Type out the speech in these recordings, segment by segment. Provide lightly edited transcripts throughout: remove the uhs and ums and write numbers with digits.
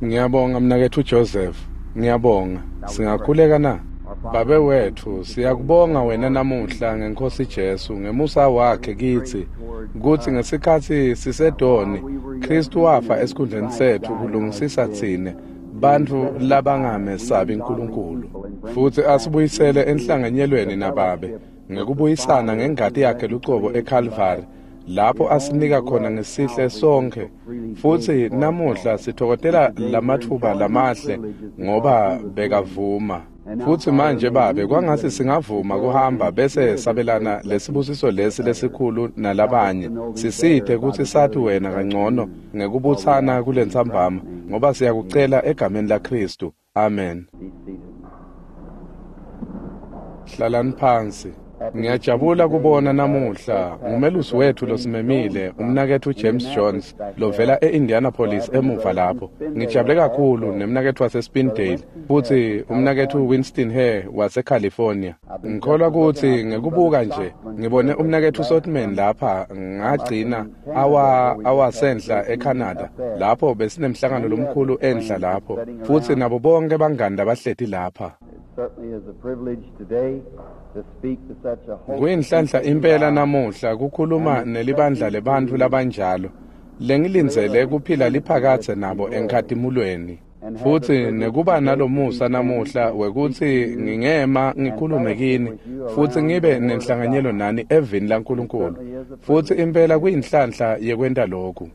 Ngiyabonga mnaketfu Joseph. Ngiyabonga. Singakhuleka na? Babe wetfu, siyakubonga wena namuhla ngeNkhosi Jesu, ngemusa wakhe kitsi, kutsi ngesikhatsi sisedoni, Khristu wafa esikhundleni setfu kulungisisa tsine, bantfu labangamesabi Nkulunkulu. Futsi asibuyisele enhlanganyelweni naBabe, ngekubuyisana ngengati yakhe lucobo eKhalvari, lapho asinika khona ngesihle sonkhe. Futsi namuhla sithokozela lamatfuba lamahle ngoba bekavuma. Futsi manje Babe, kwangatsi singavuma kuhamba bese sabelana lesibusiso lesi lesikhulu nalabanye. Sisite kutsi sati wena kangcono ngekubutsana kulentsambama, ngoba siyakucela egameni laKhristu. Amen. Hlalani phansi. Ngiyajabula kubona namuhla ngumelusi wethu losimemile, umnaketfu James Jones, lovela e-Indianapolis emuva lapho. Ngijabule kakhulu nemnaketfu waseSpindale, futsi umnaketfu Winston Hare waseCalifornia. Ngikholwa kutsi ngekubuka nje, ngibone umnaketfu Sotman lapha ngagcina awasenhla eCanada, lapho besinemhlangano lomkhulu enhla lapho, futsi nabo bonke bangani labahleti lapha. Kuyinhlanhla impela namuhla kukhuluma nelibandla lebantfu labanjalo, lengilindzele kuphila liphakadze nabo enkhatimulweni. Futsi nekuba nalomusa namuhla wekutsi ngingema ngikhulume kini futsi ngibe nenhlanganyelo nani evini laNkulunkulu. Futsi impela kuyinhlanhla yekwenta lokhu.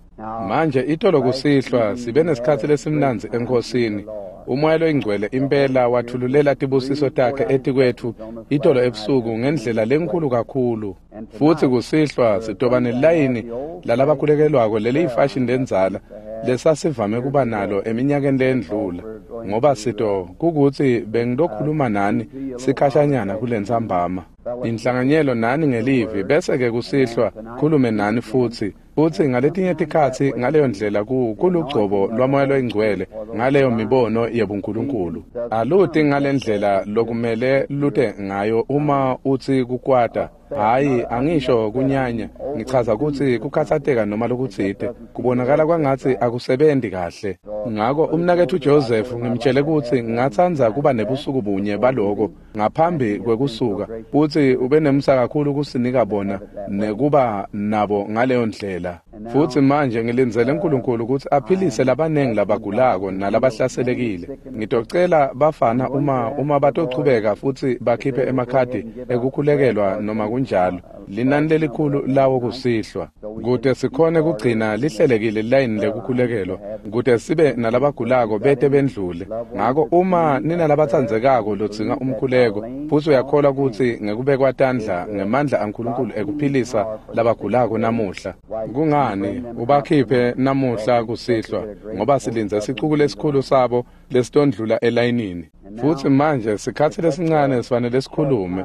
Manje itolo kusihlwa sibe nesikhatsi lesimnandzi eNkhosini. Umoya loyingcwele impela wathululela tibusiso takhe etikwetfu itolo ebusuku ngendlela lenkhulu kakhulu. Futsi kusihlwa sitoba nelayini lalabakhulekelwako leliyifashini lendzala lesasivame kuba nalo eminyakeni lendlula, ngoba sito kukutsi bengilokhuluma nani sikhashanyana kulentsambama. Inhlanganyelo nani ngelivi bese-ke kusihlwa khulume nani futsi. Futsi ngaletinye tikhatsi ngaleyo ndlela kulugcobo lwaMoya loyingcwele ngaleyo mibono yebuNkulunkulu. Aluti ngalendlela lokumele lute ngayo uma utsi kukwata. Hhayi, angisho kunyanya, ngichaza kutsi kukhatsateka noma lokutsite, kubonakala kwangatsi akusebenti kahle. Ngako umnaketfu Joseph ngimtjele kutsi ngingatsandza kuba nebusuku bunye baloko ngaphambi kwekusuka, futsi ube nemusa kakhulu kusinika bona nekuba nabo ngaleyo ndlela. Futsi manje ngilindzele Nkulunkulu kutsi aphilise labanengi labagulako nalabahlaselekile. Ngitocela bafana uma batochubeka futsi bakhiphe emakhadi ekukhulekelwa noma kunjalo, linani lelikhulu lawo kusihlwa, kute sikhone kugcina lihlelekile layini lekukhulekelwa, kute sibe nalabagulako bete bendlule. Ngako uma ninalabatsandzekako lodzinga umkhuleko, futsi uyakholwa kutsi ngekubekwa tandla ngemandla aNkulunkulu ekuphilisa labagulako namuhla, kungani ubakhiphe namuhla kusihlwa, ngoba silindze sicuku lesikhulu sabo lesitondlula elayinini. Futsi manje sikhatsi lesincane sifanele sikhulume,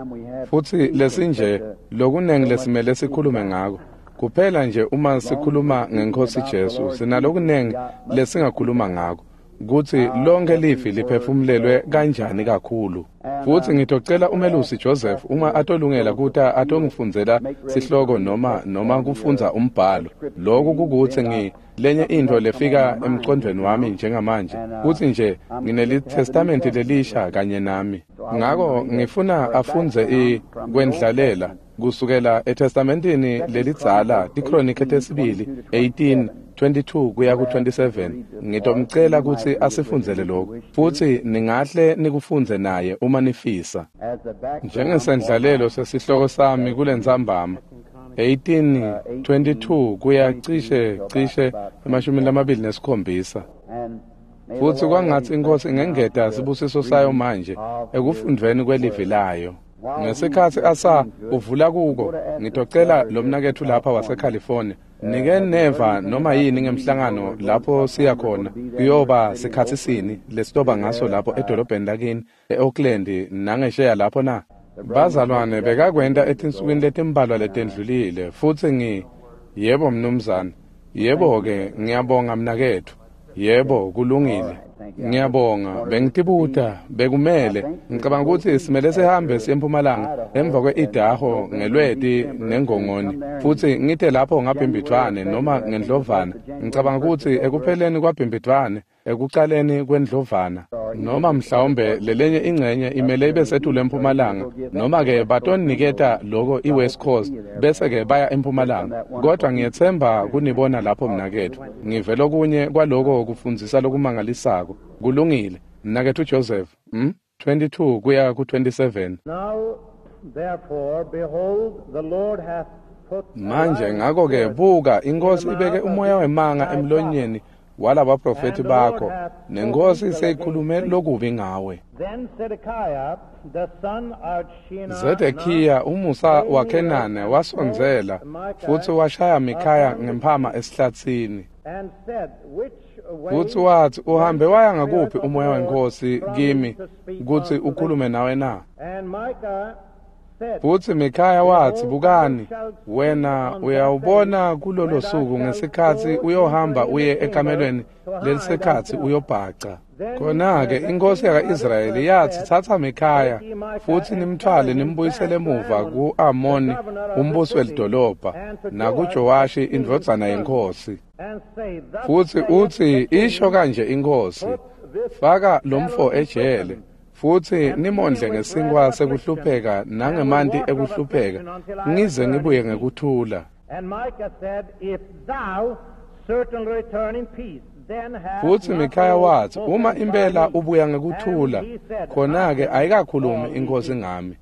futsi lesinje lokunengi lesimele sikhulume ngako. Kuphela nje uma sikhuluma ngeNkhosi Jesu, sinalokunengi lesingakhuluma ngako, kutsi lonke livi liphefumulelwe kanjani kakhulu. Futsi ngitocela umelusi Joseph uma atolungela kuta atongifundzela sihloko noma kufundza umbhalo. Lokhu kukutsi lenye intfo lefika emcondvweni wami njengamanje, kutsi nje nginelitestamenti lelisha kanye nami. Ngako ngifuna afundze kwendlalela kusukela eTestamentini lelidzala, tiKronike tesibili 18:22 kuya ku-27. Ngitomcela kutsi asifundzele lokhu, futsi ningahle nikufundze naye uma nifisa. Njengesendlalelo sesihloko sami kulentsambama, 18:22 kuya cishe 27. Futsi kwangatsi iNkhosi ingengeta sibusiso sayo manje ekufundvweni kwelivi layo. Ngesikhatsi asa uvula kuko, ngitocela lomnaketfu lapha waseCalifornia, nike neva noma yini ngemhlangano lapho siya khona, kuyoba sikhatsi sini lesitoba ngaso lapho edolobheni lakini e-Oakland nangesheya lapho na? Bazalwane bekakwenta etinsukwini letimbalwa letendlulile, futsi yebo mnumzane, yebo-ke ngiyabonga mnaketfu, yebo kulungile. Ngiyabonga, bengitibuta, bekumele, ngicabanga kutsi simele sihambe siye eMpumalanga emva kwe-Idaho ngelweti nengongoni, futsi ngite lapho ngaBhimbidvwane noma ngeNdlovana. Ngicabanga kutsi ekupheleni kwaBhimbidvwane ekucaleni kwendlovana, noma mhlawumbe lelenye ingcenye imele ibe setulu empumalanga, noma-ke batoniketa loko i-West Coast, bese-ke baya empumalanga. Kodwa ngiyetsemba kunibona lapho mnaketfu. Ngive lokunye kwaloko kufundzisa lokumangalisako. Kulungile. Mnaketfu Joseph, 22 kuya ku-27. Now, therefore, behold, the Lord hath put Manje ngakho-ke buka, iNkosi ibeke umoya wemanga emlonyeni walabaprofethi bakho, nenkosi seyikhulume lokubi ngawe. Then Zedekiah, the son of Shenaanah, Zedekiya umusa waKhenane wasondzela futsi washaya Mikhaya ngemphama esihlatsini. and said, Which way Futsi watsi, uhambe waya ngakuphi umoya wenkosi kimi kutsi ukhulume nawe na? And Micah said, Futsi Mikhaya watsi, bukani, wena uyawubona kulolo suku ngesikhatsi uyohamba uye ekamelweni lelisekhatsi uyobhaca. Khona-ke inkosi yaka-Israyeli yatsi, tsatsa Mikhaya futsi nimtfwale nimbuyisele emuva ku-Amoni umbusi welidolobha nakuJowashi indvodzana yenkosi. and say, Thus Futsi saith utsi, the king, isho kanje inkosi, faka lomfo ejele, futsi nimondle ngesinkwa sekuhlupheka nangemanti ekuhlupheka, ngize ngibuye ngekuthula. And Micah said, If thou certainly return in peace, then hath Futsi not Mikhaya the Lord watsi, spoken uma by impela me. ubuya ngekuthula, And he said, khona-ke ayikakhulumi inkosi ngami.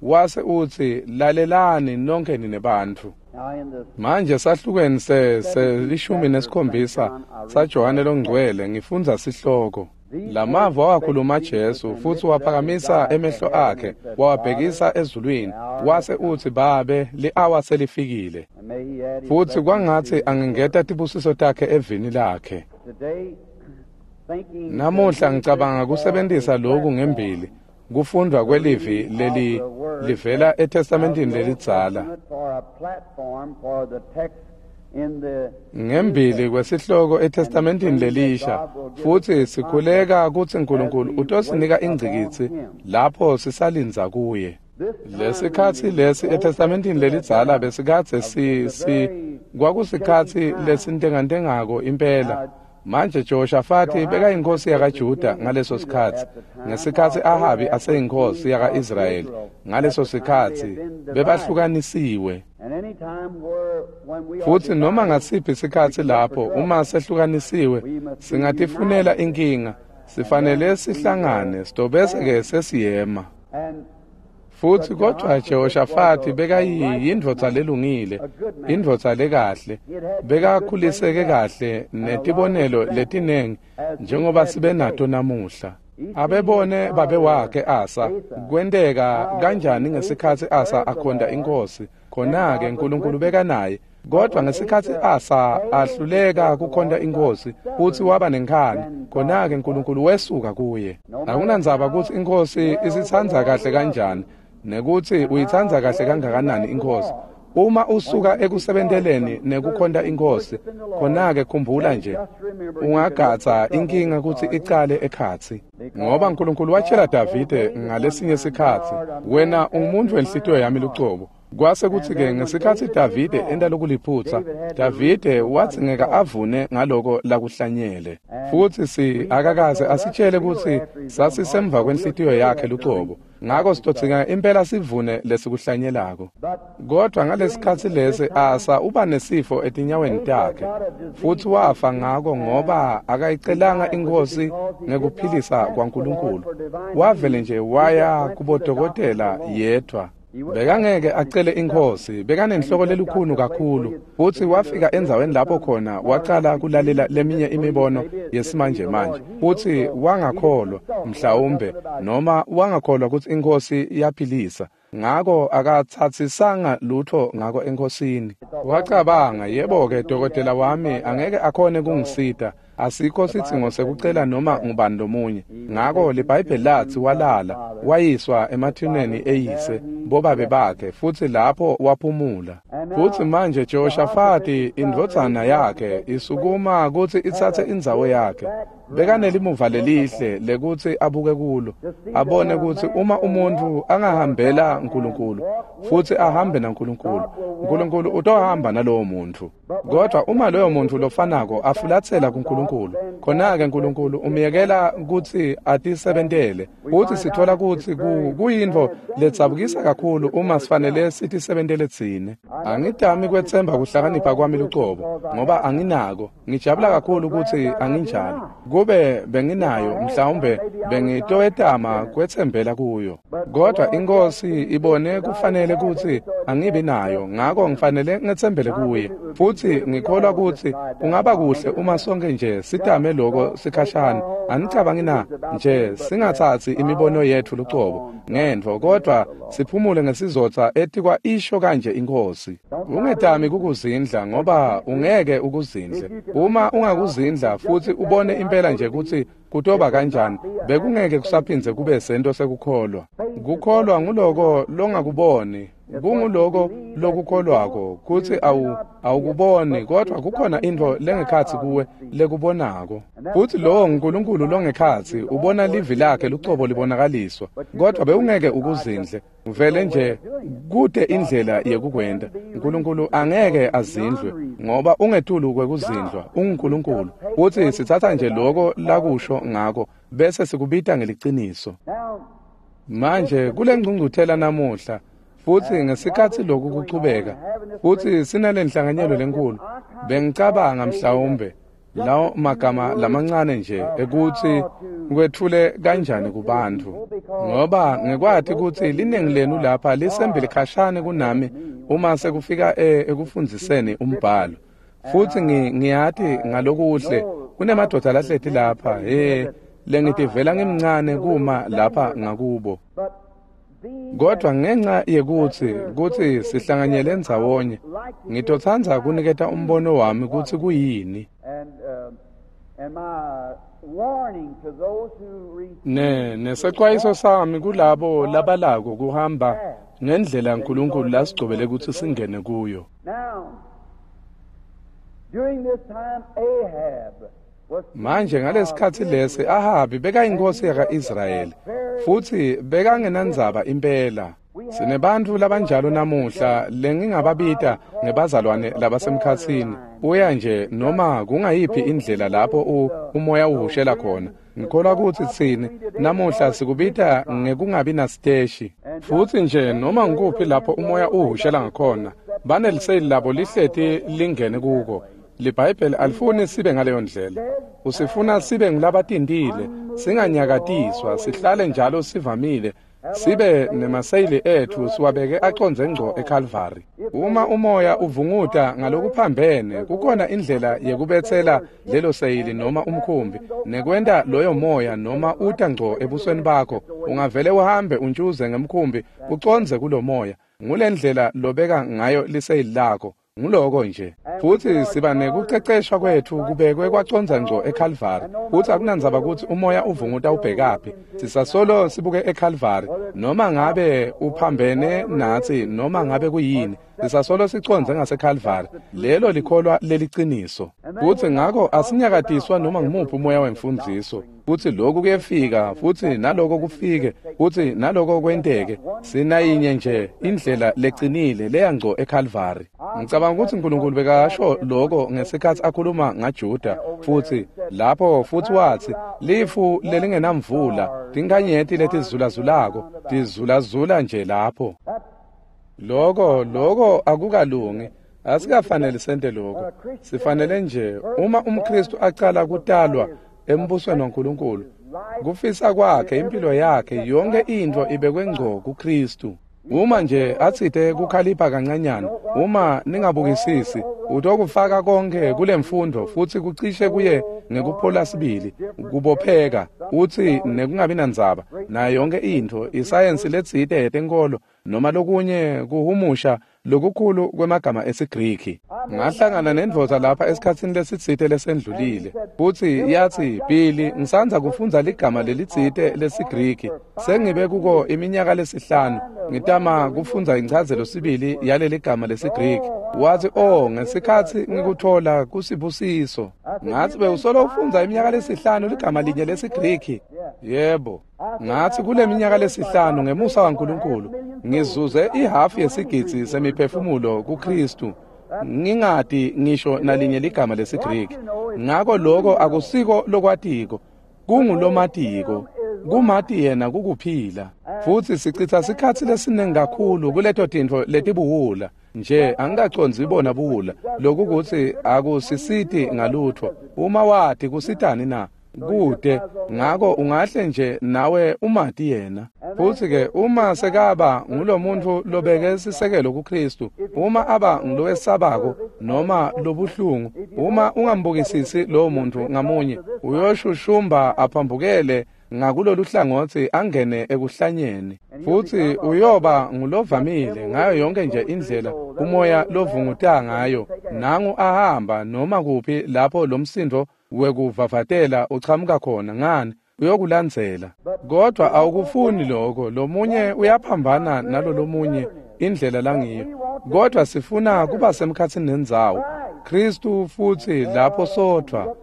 Wase utsi, lalelani nonke nine bantfu. Now in the Manje sahlukweni se-17 saJohane longcwele ngifundza sihloko. Lamava wakhuluma Jesu futsi waphakamisa emehlo akhe wawabhekisa ezulwini, wase utsi, Babe, li-awa selifikile. and may he add his Futsi blessing kwangatsi to his angengeta tibusiso takhe evini lakhe. word. Today, thinking Namuhla ngicabanga kusebentisa loku ngembili, kufundvwa kwelivi leli livela eTestamenteni lelidzala. for a platform for the text in the Ngembili kwesihloko eTestamenteni lelisha, futsi sikhuleka kutsi uNkulunkulu utosinika ingcikitsi lapho sisalindza kuye. Lesikhatsi lesi eTestamenteni lelidzala besikadze kwakusikhatsi lesintengantengako impela. Manje Jehoshafati bekayinkosi yakaJuda ngaleso sikhatsi, ngesikhatsi Ahabi aseyinkosi yaka-Israyeli ngaleso sikhatsi bebahlukanisiwe. and any time where when we are Futsi noma divided, ngasiphi isikhatsi lapho uma sehlukanisiwe singatifunela inkinga, sifanele sihlangane sitobese-ke sesiyema. and Futsi kodwa Jehoshafati bekayindvodza lelungile, indvodza lekahle, bekakhuliseke kahle netibonelo letinengi njengoba sibe nato namuhla. Abebone babe wakhe Asa kwenteka kanjani ngesikhatsi Asa akhonta inkosi, khona-ke uNkulunkulu bekanaye. Kodwa ngesikhatsi Asa ahluleka kukhonta inkosi futsi waba nenkhani, khona-ke uNkulunkulu wesuka kuye. Akunandzaba kutsi inkosi isitsandza kahle kanjani, nekutsi uyitsandza kahle kangakanani inkosi. Uma usuka ekusebenteleni nekukhonta inkosi, khona-ke khumbula nje, ungagatsa inkinga kutsi icale ekhatsi. Ngoba uNkulunkulu watshela Davide ngalesinye sikhatsi, wena ungumuntu wenhlitiyo yami lucobo. Kwase kutsi-ke ngesikhatsi Davide enta lokuliphutsa, Davide wadzingeka avune ngaloko lakuhlanyele. Futsi akakaze asitshele kutsi sasisemva kwenhlitiyo yakhe lucobo. Ngako sitodzinga impela sivune lesikuhlanyelako. Kodwa ngalesikhatsi lesi Asa uba nesifo etinyaweni takhe, futsi wafa ngako ngoba akayicelanga inkosi ngekuphilisa kwaNkulunkulu. Wavele nje waya kubodokotela yedvwa. Bekangeke acele inkosi, bekanenhloko lelukhuni kakhulu, futsi wafika endzaweni lapho khona wacala kulalela leminye imibono yesimanje manje, futsi wangakholwa mhlawumbe noma wangakholwa kutsi inkosi iyaphilisa. Ngako akatsatsisanga lutho ngako enkosini. Wacabanga, yebo-ke dokotela wami angeke akhone kungisita, asikho sidzingo sekucela noma ngubani lomunye. Ngako liBhayibheli latsi walala, wayiswa emathuneni eyise bobabe bakhe, futsi lapho waphumula. Futsi manje Jehoshafati indvodzana yakhe isukuma kutsi itsatse indzawo yakhe. Bekanelimuva lelihle lekutsi abuke kulo, abone kutsi uma umuntu angahambela uNkulunkulu futsi ahambe naNkulunkulu, uNkulunkulu utohamba nalowo muntu. Kodwa uma loyo muntu lofanako afulatsela kuNkulunkulu, khona-ke Nkulunkulu umyekela kutsi atisebentele. Futsi sitfola kutsi kuyintfo ledzabukisa kakhulu uma sifanele sitisebentele tsine. Angitami kwetsemba kuhlakanipha kwami lucobo, ngoba anginako. Ngijabula kakhulu kutsi anginjalo. Kube benginayo, mhlawumbe bengitowetama kwetsembela kuyo. Kodwa iNkhosi ibone kufanele kutsi angibi nayo, ngako ngifanele ngetsembele kuye. Futsi ngikholwa kutsi kungaba kuhle uma sonke nje sitame loko sikhashana. Anicabangi na nje singatsatsi imibono yetfu lucobo ngentfo, kodwa siphumule ngesizotsa etikwa isho kanje iNkhosi. Ungetami kukuzindla, ngoba ungeke ukuzindle. Uma ungakuzindla futsi ubone impela nje kutsi kutoba kanjani, bekungeke kusaphindze kube sento sekukholwa. Kukholwa nguloko longakuboni, kunguloko lokukholwako kutsi awukuboni, kodwa kukhona intfo lengekhatsi kuwe lekubonako. Futsi lowo nguNkulunkulu longekhatsi ubona livi lakhe lucobo libonakaliswa, kodwa bewungeke ukuzindle. Vele nje kute indlela yekukwenta. uNkulunkulu angeke azindlwe, ngoba ungetulu kwekuzindlwa, unguNkulunkulu. Futsi sitsatsa nje loko lakusho ngako bese sikubita ngeliciniso. Manje kule ngcungcuthela namuhla, futsi ngesikhatsi loku kuchubeka, futsi sinalenhlanganyelo lenkulu, bengicabanga mhlawumbe lawo magama lamancane nje ekutsi kwetfule kanjani kubantfu, ngoba ngekwati kutsi liningi lenu lapha lisembili khashane kunami uma sekufika ekufundziseni umbhalo. Futsi ngiyati ngalokuhle kunemadoda lahleti lapha lengitivela ngimncane kuma lapha ngakubo. Kodwa ngenxa yekutsi kutsi sihlanganyele ndzawonye, ngitotsandza kuniketa umbono wami kutsi kuyini. Nesexwayiso sami kulabo labalako kuhamba ngendlela uNkulunkulu lasigcobele kutsi singene kuyo. Manje ngalesikhatsi lesi Ahabi bekayinkosi yaka-Israyeli, futsi bekangenandzaba impela. Sinebantfu labanjalo namuhla lengingababita ngebazalwane labasemkhatsini. Uya nje noma kungayiphi indlela lapho umoya uhushela khona. Ngikholwa kutsi tsine namuhla sikubita ngekungabi nasiteshi. Futsi nje noma ngikuphi lapho umoya uhushela ngakhona, baneliseyili labo lihleti lingene kuko. LiBhayibheli alifuni sibe ngaleyo ndlela. Usifuna sibe ngulabatintile, singanyakatiswa, sihlale njalo sivamile, sibe nemaseyili etfu siwabeke acondze ngco eKalvari. Uma umoya uvunguta ngalokuphambene, kukhona indlela yekubetsela lelo seyili noma umkhumbi, nekwenta loyo moya noma uta ngco ebusweni bakho, ungavele uhambe untshuze ngemkhumbi ucondze kulo moya. Ngulendlela lobeka ngayo liseyili lakho. Nguloko nje. Futsi siba nekuceceshwa kwetfu kubekwe kwacondza ngco eKalvari. Futsi akunandzaba kutsi umoya uvunguta ubhekaphi, sisasolo sibuke eKalvari, noma ngabe uphambene natsi noma ngabe kuyini, sisasolo sicondze ngaseKalvari. Lelo likholwa leliciniso. Futsi ngako asinyakatiswa noma ngumuphi umoya wemfundziso. Futsi lokhu kuyefika, futsi naloko kufike, futsi naloko kwenteke. Sinayinye nje indlela lecinile leya ngco eKalvari. Ngicabanga kutsi uNkulunkulu bekasho loko ngesikhatsi akhuluma ngaJuda, futsi lapho futsi watsi lifu lelingenamvula, tinkhanyeti letizulazulako, tizulazula nje lapho. Loko akukalungi. Asikafanele sente lokho. Sifanele nje uma umKristu acala kutalwa embusweni waNkulunkulu, kufisa kwakhe, impilo yakhe, yonke intfo ibekwe ngco kuKristu. Uma nje atsite kukhalipha kancanyana, uma ningabukisisi, utokufaka konke kulemfundo futsi kucishe kuye ngekuphola sibili, kubopheka, utsi nekungabi nandzaba nayo yonke intfo, isayensi letsite yetenkolo noma lokunye kuhumusha lokukhulu kwemagama esiGriki. Ngahlangana nendvodza lapha esikhatsini lesitsite lesendlulile, futsi yatsi, "Billy, ngisandza kufundza ligama lelitsite lesiGriki. Sengibe kuko iminyaka lesihlanu ngitama kufundza inchazelo sibili yaleli gama lesiGriki." Wathi, "Oh, ngesikhatsi ngikuthola kusibusiso." Ngathi, "Bewusolo ufundza iminyaka lesihlanu ligama linye lesiGriki?" Yebo. Ngathi, "Kule minyaka lesihlanu ngemusa waNkulunkulu ngizuze ihafu yesigidzi semiphefumulo kuKristu. Ngingati ngisho nalinye ligama lesiGriki. Ngako lokho akusiko lokwatiko, kungulomatiko. Kumati yena kukuphila. Futsi sichitha sikhatsi lesiningi kakhulu kuleto tintfo letibuwula. Nje angikacondzi bona buwula. Lokhu kutsi akusisiti ngalutfo. Uma wati kusitani na? Kude. Ngako ungahle nje nawe umati yena. Futsi-ke uma sekaba ngulomuntfu lobeke sisekelo kuKristu, uma aba ngulowesabako noma lobuhlungu, uma ungambukisisi lowo muntfu ngamunye, uyoshushumba aphambukele ngakulolu hlangotsi angene ekuhlanyeni. Futsi uyoba ngulovamile ngayo yonke nje indlela umoya lovunguta ngayo. Nangu ahamba noma kuphi lapho lomsindo wekuvavatela uchamuka khona, ngani uyokulandzela. Kodwa awukufuni lokho. Lomunye uyaphambana nalolomunye indlela langiyo. Kodwa sifuna kuba semkhatsini nendzawo Kristu, futsi lapho sodvwa.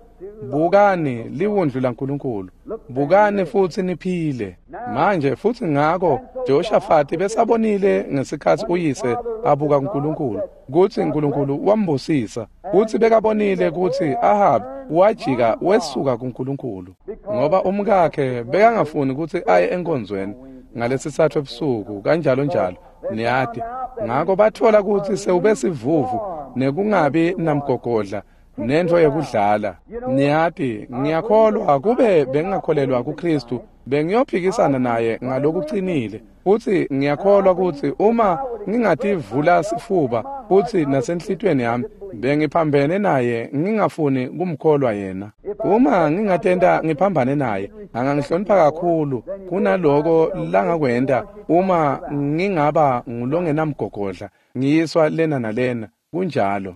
Bukani liwundlu laNkulunkulu, bukani futsi niphile manje. Futsi ngako Jehoshafati besabonile ngesikhatsi uyise abuka kuNkulunkulu kutsi uNkulunkulu wambusisa, futsi bekabonile kutsi Ahab wajika wesuka kuNkulunkulu, ngoba umkakhe bekangafuni kutsi aye enkonzweni ngalesisathu ebusuku kanjalo njalo, niyati. Ngako bathola kutsi sewube sivuvu nekungabi namgogodla nentfo yekudlala. Niyati, ngiyakholwa kube bengingakholelwa kuKristu bengiyophikisana naye ngalokucinile. Futsi ngiyakholwa kutsi uma ngingativula sifuba futsi nasenhlitiyweni yami bengiphambene naye, ngingafuni kumkholwa yena. Uma ngingatenta ngiphambane naye, angangihlonipha kakhulu kunaloko langakwenta uma ngingaba ngulongenamgogodla ngiyiswa lena nalena. Kunjalo.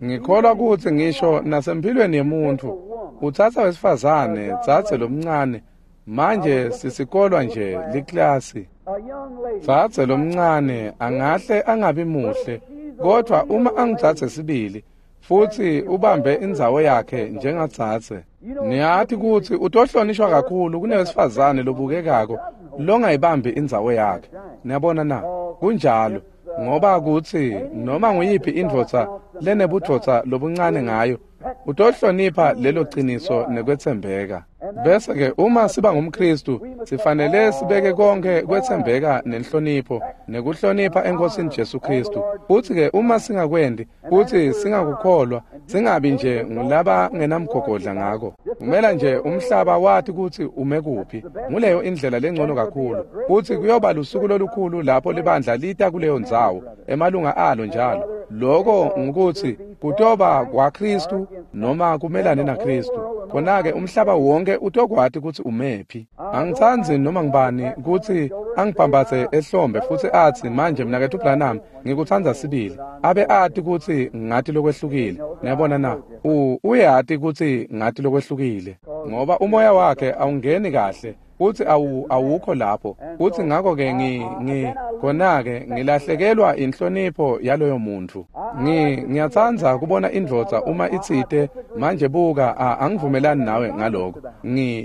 Ngikholwa kutsi ngisho nasemphilweni yemuntfu utsatsa wesifazane, dzadze lomncane. Manje sisikolwa nje liklasi. Dzadze lomncane angahle angabi muhle, kodwa uma angidzadze sibili futsi ubambe indzawo yakhe njengadzadze, niyati kutsi utohlonishwa kakhulu kunewesifazane lobukekako longayibambi indzawo yakhe. Niyabona na? Kunjalo. Ngoba kutsi noma nguyiphi indvodza lenebudvodza lobuncane ngayo, utohlonipha lelo qiniso nekwetsembeka. Bese-ke uma siba ngumKristu, sifanele sibeke konke kwetsembeka nenhlonipho nekuhlonipha eNkosini Jesu Kristu. Futsi-ke uma singakwendi futsi singakukholwa, singabi nje ngulaba ngenamgogodla ngako. Kumela nje umhlaba wati kutsi ume kuphi. Nguleyo indlela lengcono kakhulu. Futsi kuyoba lusuku lolukhulu lapho libandla lita kuleyo ndzawo, emalunga alo njalo. Lokho ngukutsi kutoba kwaKristu noma kumelane naKristu. Khona-ke umhlaba wonke utokwati kutsi umephi. Angitsandzi noma ngibani kutsi angibhambatse ehlombe futsi atsi, manje mnaketfu Branham, ngikutsandza sibili. Abe ati kutsi ngati lokwehlukile. Niyabona na? Uyati kutsi ngati lokwehlukile, ngoba umoya wakhe awungeni kahle futsi awukho lapho. Futsi ngako-ke khona-ke ngilahlekelwa inhlonipho yaloyo muntfu. Ngiyatsandza kubona indvodza uma itsite, manje buka, angivumelani nawe ngaloko.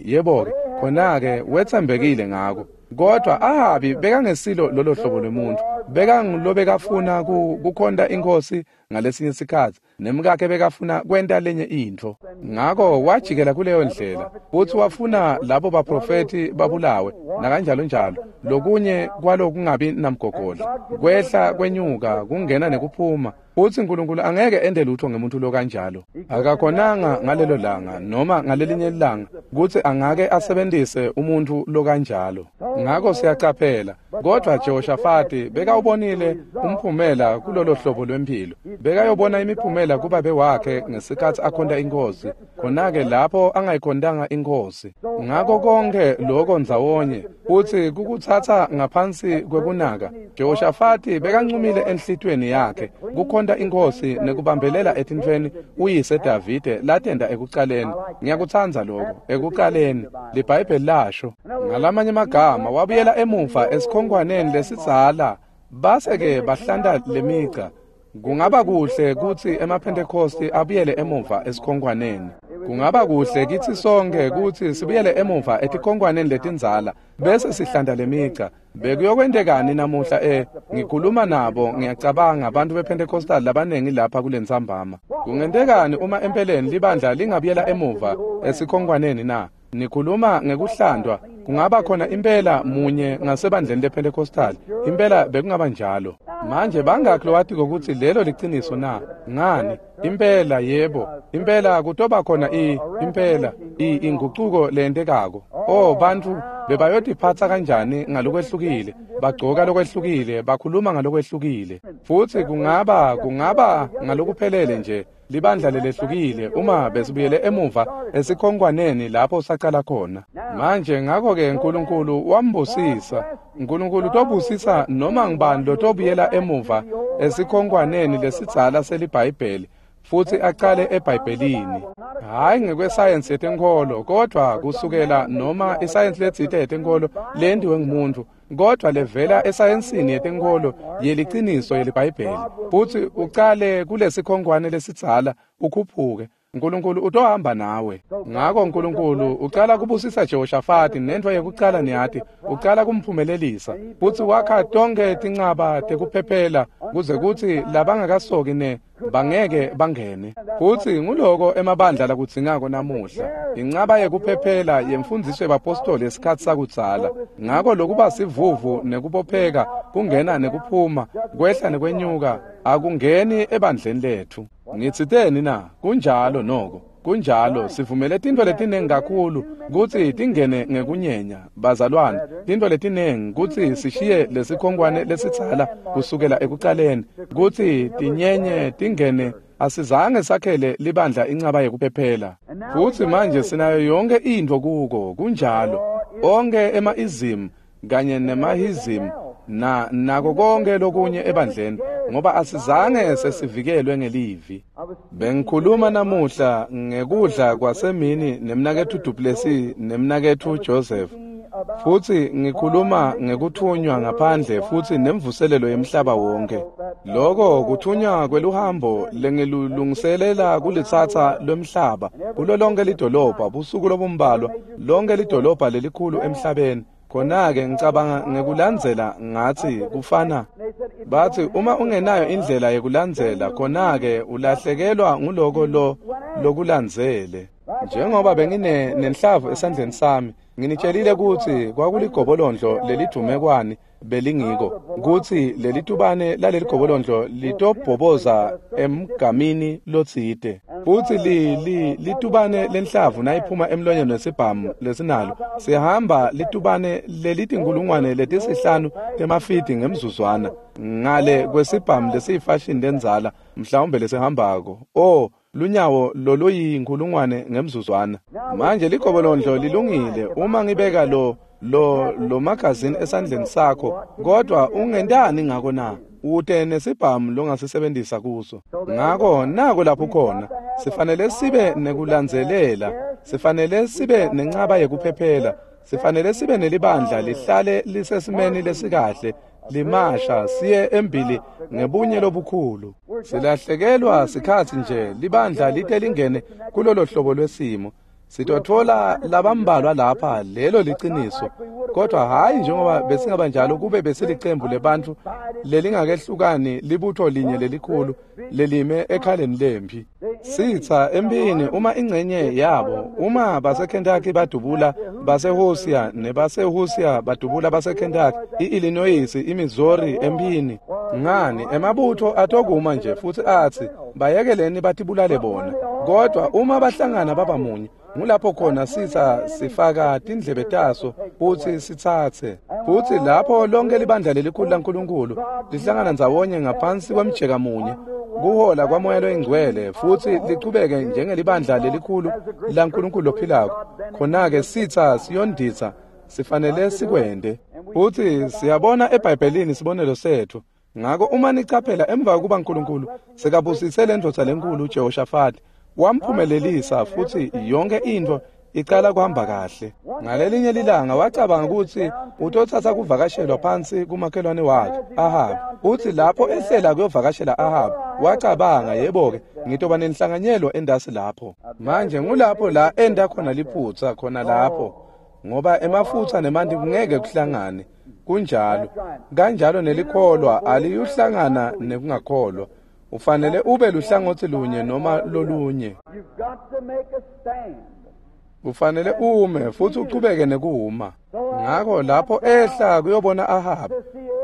Yebo-ke, khona-ke wetsembekile ngako. Kodwa Ahabi bekangesilo lolo hlobo lwemuntfu. Bekangulobekafuna kukhonta iNkhosi ngalesinye sikhatsi, nemkakhe bekafuna kwenta lenye intfo. Ngako wajikela kuleyo ndlela futsi wafuna labo baprofethi babulawe nakanjalo njalo. Lokunye kwalokungabi namgogodla, kwehla kwenyuka, kungena nekuphuma. Futsi uNkulunkulu angeke ente lutho ngemuntu lokanjalo. Akakhonanga ngalelo langa noma ngalelinye ilanga kutsi angake asebentise umuntu lokanjalo. Ngako siyacaphela. Kodwa Jehoshafati bekawubonile umphumela kulolo hlobo lwemphilo. Bekayobona imiphumela kubabe wakhe ngesikhatsi akhonta iNkhosi. Khona-ke lapho angayikhontanga iNkhosi. Ngako konke lokho ndzawonye futsi kukutsatsa ngaphansi kwekunaka. Jehoshafati bekancumile enhlitiyweni yakhe kukhonta iNkhosi nekubambelela etintfweni uyise Davide latenta ekucaleni. Ngiyakutsandza lokho. Ekucaleni liBhayibheli lasho. Ngalamanye amagama wabuyela emuva esikhonkwaneni lesidzala, base-ke bahlanta lemica. Kungaba kuhle kutsi emaPhentekosti abuyele emuva esikhonkwaneni. Kungaba kuhle kitsi sonke kutsi sibuyele emuva etikhonkwaneni letindzala bese sihlanta lemigca. Bekuyokwentekani namuhla ngikhuluma nabo ngiyacabanga abantu bePentecostal labanengi lapha kulentsambama. Kungentekani uma empeleni libandla lingabuyela emuva esikhonkwaneni na? Nikhuluma ngekuhlandwa, kungaba khona impela munye ngasebandleni lePentecostal. Impela bekungaba njalo. Manje bangakhi lowatiko kutsi lelo liciniso na? Ngani? Impela yebo. Impela kutoba khona impela ingucuko lentekako. Oh bantfu bebayotiphatsa kanjani ngalokwehlukile, bagcoka lokwehlukile, bakhuluma ngalokwehlukile. Futsi kungaba ngalokuphelele nje libandla lelehlukile uma besibuyele emuva esikhonkwaneni lapho sacala khona. Manje ngakho-ke Nkulunkulu wambusisa. Nkulunkulu utobusisa noma ngubani lotobuyela emuva esikhonkwaneni lesidzala seliBhayibheli futsi acale eBhayibhelini. Hhayi ngekwesayensi yetenkholo, kodvwa kusukela noma isayensi letsite yetenkholo lentiwe ngumuntu, kodvwa levela esayensini yetenkholo yeliciniso yeliBhayibheli. Futsi ucale kulesikhonkwane lesidzala ukhuphuke. Nkulunkulu utohamba nawe. Ngako Nkulunkulu ucala kubusisa Jehoshafati nentfo yekucala niyati, ucala kumphumelelisa. Futsi wakha tonkhe tincaba tekuphephela kuze kutsi labangakasoki ne bangeke bangene. Futsi nguloko emabandla lakudzingako namuhla. Incaba yekuphephela yemfundziso yebapostoli yesikhatsi sakudzala. Ngako lokuba sivuvu nekubopheka, kungena nekuphuma, kwehla nekwenyuka, akungeni ebandleni letfu. Ngitsiteni na? Kunjalo noko. Kunjalo, sivumele tintfo letinengi kakhulu kutsi tingene ngekunyenya, bazalwane, tintfo letinengi kutsi sishiye lesikhonkwane lesidzala kusukela ekucaleni, kutsi tinyenye tingene. Asizange sakhele libandla incaba yekuphephela. Futsi manje sinayo yonke intfo kuko, kunjalo. Onke ema-ism kanye nemahism nako konke lokunye ebandleni, ngoba asizange sesivikelwe ngelivi. Bengikhuluma namuhla ngekudla kwasemini nemnaketfu Duplessis nemnaketfu Joseph. Futsi ngikhuluma ngekuthunywa ngaphandle futsi nemvuselelo yemhlaba wonke. Loko kuthunywa kweluhambo lengilulungiselela kulitsatsa lwemhlaba kulo lonke lidolobha busuku lobumbalwa, lonke lidolobha lelikhulu emhlabeni. Khona-ke ngicabanga ngekulandzela ngatsi kufana. Batsi uma ungenayo indlela yekulandzela, khona-ke ulahlekelwa nguloko lokulandzele. Njengoba bengine nenhlavu esandleni sami, nginitshelile kutsi kwakuligobolondlo lelidumekwani belingiko, kutsi lelitubane laleligobolondlo litobhoboza emgamini lotsite. Futsi litubane lenhlavu nayiphuma emlonyeni wesibhamu lesinalo, sihamba litubane lelitinkulungwane letisihlanu temafidi ngemzuzwana ngale kwesibhamu lesiyifashini lendzala mhlawumbe lesihambako. Oh, lunyawo loluyinkulungwane ngemzuzwana. Manje ligobolondlo lilungile uma ngibeka lo magazini esandleni sakho, kodwa ungentani ngako na? Ute nesibhamu longasisebenzisa kuso. Ngako nako lapho khona sifanele sibe nekulandzelela, sifanele sibe nencaba yekuphephela, sifanele sibe nelibandla lihlale lisesimeni lesikahle, limasha siye embili ngebunye lobukhulu. Silahlekelwa sikhatsi nje libandla lite lingene kulolo hlobo lwesimo. Sitotfola labambalwa lapha, lelo liciniso, kodwa hhayi njengoba besingaba njalo kube besilicembu lebantfu lelingakehlukani, libutho linye lelikhulu lelime ekhaleni lempi. Sitsa empini uma ingcenye yabo, uma baseKentucky badubula baseHosia nebaseHosia badubula baseKentucky, i-Illinois, iMissouri empini. Ngani, emabutho atokuma nje futsi atsi bayekeleni batibulale bona. Kodwa uma bahlangana baba munye, ngulapho khona sitsa sifaka tindlebe taso futsi sitsatse. Futsi lapho lonke libandla lelikhulu laNkulunkulu lihlangana ndzawonye ngaphansi kwemjeka munye, kuhola kwaMoya loyiNgcwele, futsi lichubeke njengelibandla lelikhulu laNkulunkulu lophilako. Khona-ke sitsa siyonditsa, sifanele sikwente. Futsi siyabona eBhayibhelini sibonelo setfu. Ngako uma nicaphela emva kokuba Nkulunkulu sekabusise lendvodza lenkulu Jehoshafati, wamphumelelisa futsi yonke intfo icala kuhamba kahle. Ngalelinye lilanga wacabanga ukuthi utotsatsa kuvakashelwa phansi kumakhelwane wakhe Ahabi. Uthi lapho ehlela kuyovakashela Ahabi, wacabanga, yebo-ke, ngitoba nenhlanganyelo endasi lapho. Manje ngulapho la enda khona liphutsa khona lapho, ngoba emafutsa nemanti kungeke kuhlangane. Kunjalo. Kanjalo nelikholwa aliyuhlangana nekungakholwa. Ufanele ube luhlangotsi lunye noma lolunye. Ufanele ume futhi uchubeke nekuuma. Ngakho lapho ehla kuyobona Ahabi.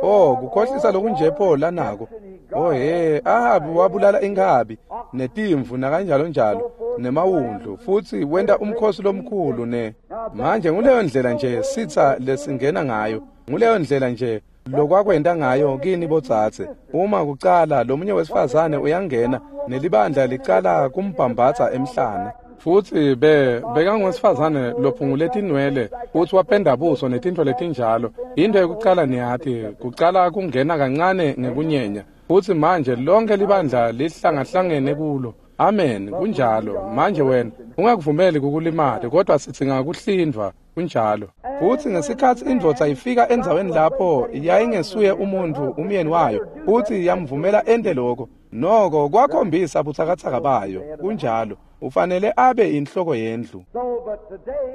Oh, kukhohlisa lokunje pho lanako. Oh he, Ahabi wabulala inkabi netimvu nakanjalo njalo nemawundlu futhi wenta umkhosi lomkhulu ne. Manje nguleyo ndlela nje sitsa lesingena ngayo. Nguleyo ndlela nje lokwakwenta ngayo kini botsatse. Uma kucala lomunye wesifazane uyangena nelibandla licala kumbhambatsa emhlane. Futhi bekangowesifazane lophungule tinwele futhi wapenda buso netintfo letinjalo. Into yokucala niyati kucala kungena kancane ngekunyenya. Futhi manje lonke libandla lihlangahlangene kulo. Amen, kunjalo. Manje wena ungakuvumeli kukulimate, kodwa sidzinga kuhlindvwa. Kunjalo. Futhi ngesikhathi indvodza ifika endzaweni lapho yayingesuye umuntu umyeni wayo, futhi yamvumela ente lokho. Noko kwakhombisa butsakatsaka bayo. Kunjalo. Ufanele abe inhloko yendlu.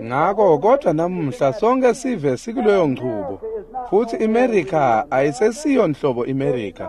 Ngakho kodwa namuhla sonke sive sikuleyo nchubo. Futhi iMerica ayisesiyo nhlobo iMerica.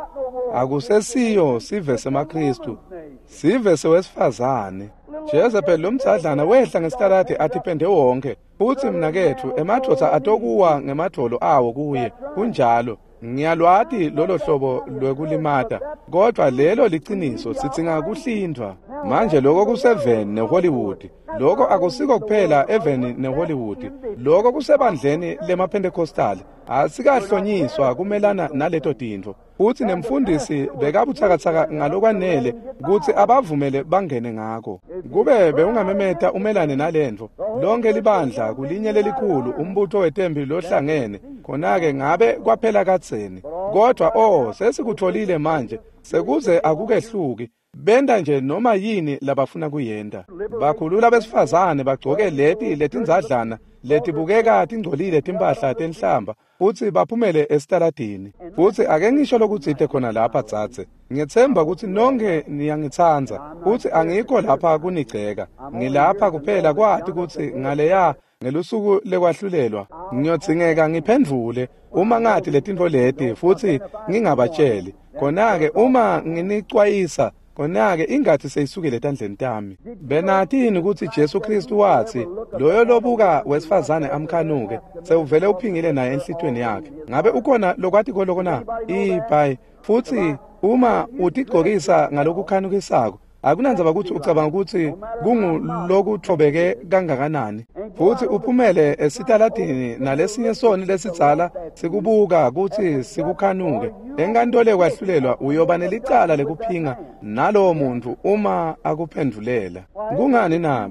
Akusesiyo sive semaKristu. Sive sewesifazane. Jezebel lomdzadlana wehla ngesitaladi atipende wonke. Futhi mnaketfu emadvodza atokuwa ngemadvolo awo kuye. Kunjalo. Ngiyalwati lolo hlobo lwekulimata, kodwa lelo liciniso, sidzinga kuhlindvwa. Manje lokho kuseveni neHollywood. Lokho akusiko kuphela eveni neHollywood. Lokho kusebandleni lemaPentecostal. Asikahlonyiswa kumelana naleto tintfo. Futhi nemfundisi bekabutsakatsaka ngalokwanele kutsi abavumele bangene ngako. Kube bewungamemeta umelane nalentfo, lonke libandla kulinye lelikhulu umbutho wetempi lohlangene, khona-ke ngabe kwaphela kadzeni. Kodwa oh, sesikutfolile manje, sekuze akukehluki. Benta nje noma yini labafuna kuyenta. Bakhulula besifazane bagcoke leti letindzadlana letibukeka tingcolile timphahla tenhlamba futhi baphumele esitaladini. Futhi ake ngisho lokutsite khona lapha dzadze. Ngiyetsemba kutsi nonke niyangitsandza futhi angikho lapha kunigceka. Ngilapha kuphela kwati kutsi ngaleya ngelusuku lekwahlulelwa ngiyodzingeka ngiphendvule uma ngati letintfo leti futhi ngingabatsheli. Khona-ke uma nginicwayisa, khona-ke ingathi seyisukile etandleni tami. Benatini ukuthi Jesu Kristu wathi loyo lobuka wesifazane amkhanuke sewuvele uphingile naye enhlitweni yakhe. Ngabe ukhona lokwati koloko na? Ibhayi. Futhi uma utigcokisa ngalokukhanukisako, akunandzaba ukuthi ucabanga ukuthi kungulokutfobeke kangakanani, futhi uphumele esitaladini nalesinye soni lesidzala sikubuka kutsi sikukhanuke, enkantolo yekwahlulelwa uyoba nelicala lekuphinga nalowo muntu uma akuphendvulela. Kungani na?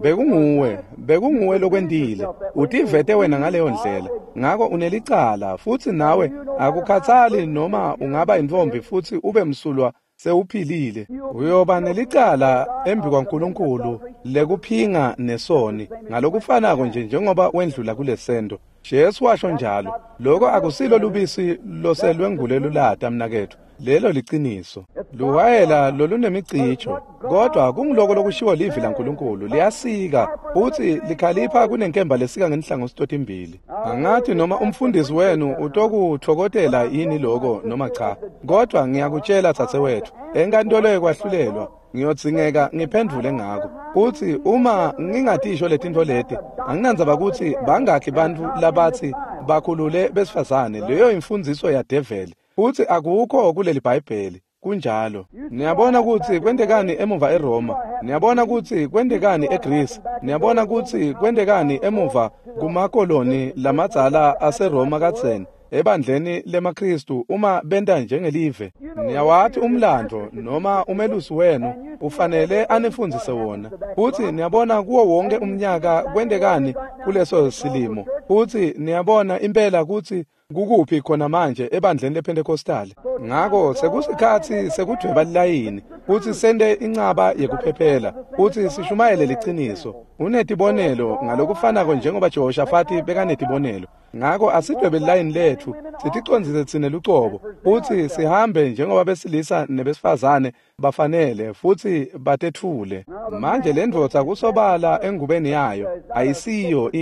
Bekunguwe lokwentile. Utivete wena ngaleyo ndlela. Ngako unelicala futhi nawe akukhathali noma ungaba intfombi futhi ube msulwa sewuphilile. Uyoba nelicala embi kwaNkulunkulu lekuphinga nesoni ngalokufanako nje njengoba wendlula kulesento. Jesu washo njalo. Lokho akusilo lubisi loselwengule lulata mnaketfu. Lelo liciniso. Luwayela lolunemicijo, kodwa kunguloko lokushiwo livi laNkulunkulu liyasika futhi likhalipha kunenkemba lesika ngenhlangothi totimbili. Angathi noma umfundisi wenu utokuthokotela yini lokho noma cha, kodwa ngiyakutshela dzadzewethu, enkantolo yekwahlulelwa ngiyodzingeka ngiphendvule ngako. Futhi uma ngingatisho letintfo leti, anginandzaba kutsi bangakhi bantfu labatsi bakhulule besifazane, leyo imfundziso yadeveli. Futhi akukho kuleli Bhayibheli. Kunjalo. Niyabona kutsi kwentekani emuva eRoma. Niyabona kutsi kwentekani eGreece. Niyabona kutsi kwentekani emuva kumakoloni lamadzala aseRoma kadzeni ebandleni lemaKristu uma benta njengelive. Niyawathi umlando noma umelusi wenu ufanele anifundzise wona. Futhi niyabona kuwo wonke umnyaka kwentekani kuleso silimo. Futsi niyabona impela kutsi kukuphi khona manje ebandleni lePentecostal. Ngako sekusikhatsi sekudvweba lilayini futsi sente incaba yekuphephela futsi sishumayele liciniso. Unetibonelo ngalokufanako njengoba Jehoshafati bekanetibonelo. Ngako asidwebe lilayini letfu, siticondzise tsine lucobo, futsi sihambe njengoba besilisa nebesifazane bafanele futsi batetfule. Manje le ndvodza kusobala engubeni yayo ayisiyo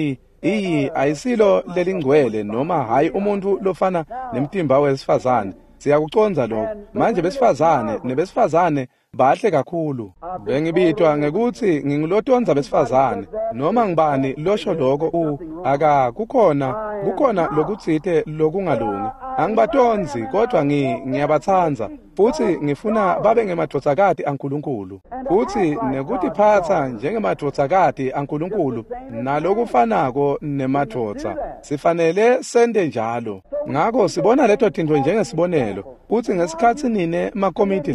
ayisilo lelingcwele noma hayi umuntu lofana nemtimba wesifazane. Siyakucondza lokho. Manje besifazane nebesifazane bahle kakhulu. Bengibitwa ngekuthi ngingulotonza besifazane noma ngibani losho lokho aka kukhona lokutsite lokungalungi. Angibatonzi kodwa ngiyabatsandza futsi ngifuna babe ngemadvodzakati aNkulunkulu futsi nekutiphatsa njengemadvodzakati aNkulunkulu nalokufanako nemadvodza. Sifanele sente njalo. Ngako sibona leto tintfo njengesibonelo kutsi ngesikhatsi nine makomiti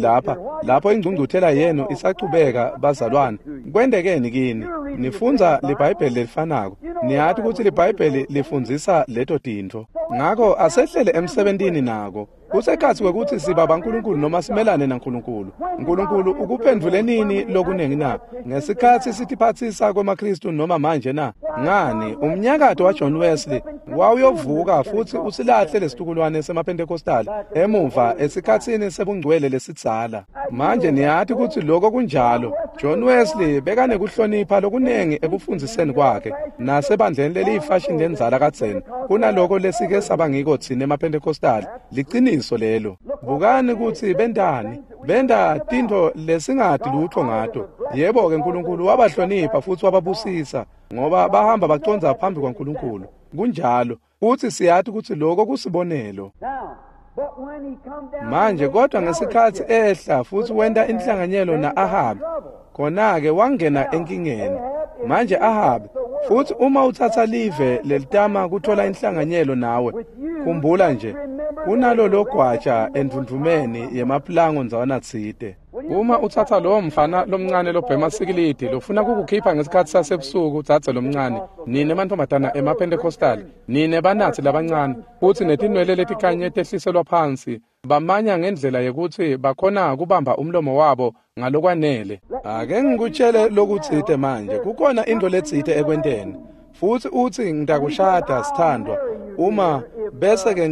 lapho ingcungcuthela yenu isachubeka bazalwane, kwentekeni kini? Nifundza liBhayibheli lelifanako. Niyati kutsi liBhayibheli lifundzisa leto tintfo. Ngako asehlele emsebentini nako. Kusekhatsi kwekutsi siba baNkulunkulu noma simelane naNkulunkulu. Nkulunkulu ukuphendvule nini lokunengi na? Ngesikhatsi sitiphatsisa kwemaKristu noma manje na? Ngani, umnyakato waJohn Wesley wawuyovuka futsi usilahle lesitukulwane semaPentecostal emuva esikhatsini sebungcwele lesidzala. Manje niyati kutsi lokho kunjalo. John Wesley bekanekuhlonipha lokunengi ekufundziseni kwakhe nasebandleni leliyifashini lendzala kadzeni kunaloko lesike saba ngiko tsine emaPentecostal. Liciniso lelo. Bukani kutsi bentani. Benta tintfo lesingati lutho ngato. Yebo-ke Nkulunkulu wabahlonipha futsi wababusisa ngoba bahamba bacondza phambi kwaNkulunkulu. Kunjalo. Futsi siyati kutsi lokho kusibonelo. Manje kodwa ngesikhatsi ehla futsi wenta inhlanganyelo na-Ahabi, khona-ke wangena enkingeni. Manje Ahabi, futsi uma utsatsa live lelitama kuthola inhlanganyelo nawe, khumbula nje, kunalolo gwaja endvundvumeni yemaplango ndzawana tsite. Uma utsatsa lowo mfana lomncane lobhema sikilidi lofuna kukukhipha ngesikhatsi sasebusuku, dzadze lomncane, nine mantfombatana emaPentecostal, nine banatsi labancane, futsi netinwele letikhanye tehliselwa phansi, bamanya ngendlela yekutsi bakhona kubamba umlomo wabo ngalokwanele. Ake ngikutshele lokutsite manje, kukhona intfo letsite ekwenteni. Futsi utsi ngitakushada sithandwa, uma bese-ke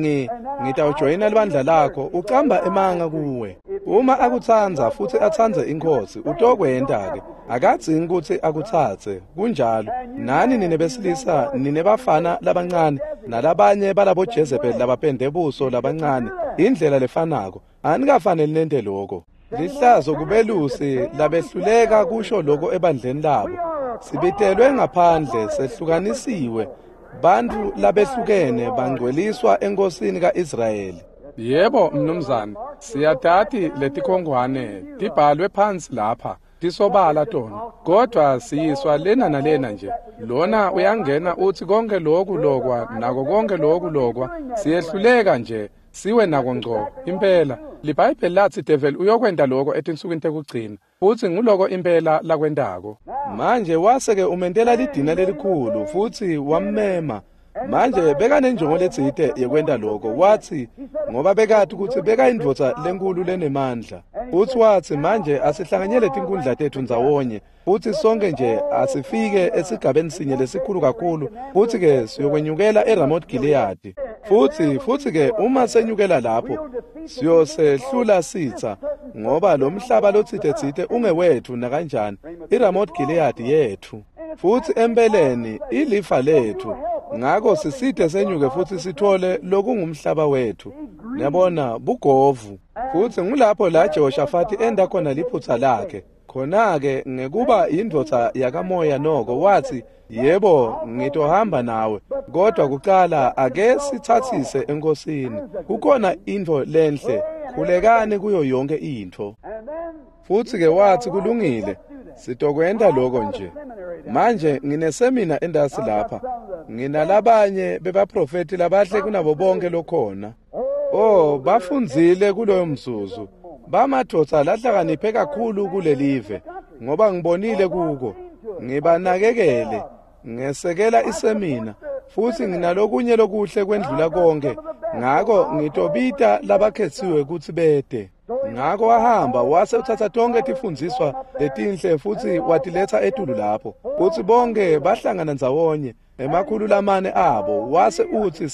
ngitawujoyina libandla lakho, ucamba emanga kuwe. Uma akutsandza futsi atsandze iNkhosi, utokwenta-ke. Akadzingi kutsi akutsatse, kunjalo. Nani nine besilisa, nine bafana labancane, nalabanye balabo Jezebel labapende buso labancane, indlela lefanako. Anikafaneli nente loko. Lihlazo kubelusi labehluleka kusho loko ebandleni labo. Sibitelwe ngaphandle, sehlukanisiwe. Bantfu labehlukene bangcweliswa enkosini kaIsrayeli. Yebo, mnumzane, siyatati letikhongwane tibhalwe phansi lapha, tisobala tona. Kodwa siyiswa lena nalena nje. Lona uyangena uthi konke lokhu lokwa nako konke lokhu lokwa. Siyehluleka nje, siwe nako ngco. Impela, liBhayibheli lathi devil uyokwenta lokho etinsukwini tekugcina. Futsi nguloko impela lakwentako. Manje wase-ke umentela lidina lelikhulu futsi wammema. Manje bekanenjongo letsite yekwenta lokho. Watsi ngoba bekati kutsi bekayindvodza lenkulu lenemandla. Futsi watsi manje asihlanganyele tinkundla tetfu ndzawonye futsi sonke nje asifike esigabeni sinye lesikhulu kakhulu futsi-ke siyokwenyukela eRamoth Gilead. Futsi-ke uma senyukela lapho siyosehlula sitsa ngoba lo mhlaba lotsite-tsite ungewetfu nakanjani, iRamoth Gilead yetfu. Futsi empeleni ilifa letfu. Ngako siside senyuke futsi sithole lokungumhlaba wetfu. Niyabona, bugovu. Futsi ngulapho la Jehoshafati enda khona liphutsa lakhe. Khona-ke ngekuba indvodza yakamoya noko watsi, yebo, ngitohamba nawe, kodwa kucala ake sitsatsise enkosini. Kukhona intfo lenhle, khulekani kuyo yonke intfo. Futsi-ke watsi kulungile, sitokwenta lokho nje. Manje nginesemina endasi lapha, nginalabanye bebaprofeti labahle kunabo bonke lokhona. Oh, bafundzile kuloyo mzuzu. Bamadvodza lahlakaniphe kakhulu kulelive, ngoba ngibonile kuko. Ngibanakekele, ngesekela isemina. Futsi nginalokunye lokuhle kwendlula konke, ngako ngitobita labakhetsiwe kutsi bete. Ngako wahamba wase utsatsa tonkhe tifundziswa letinhle futsi watiletsa etulu lapho. Futsi bonke bahlangana ndzawonye, 400 abo, wase utsi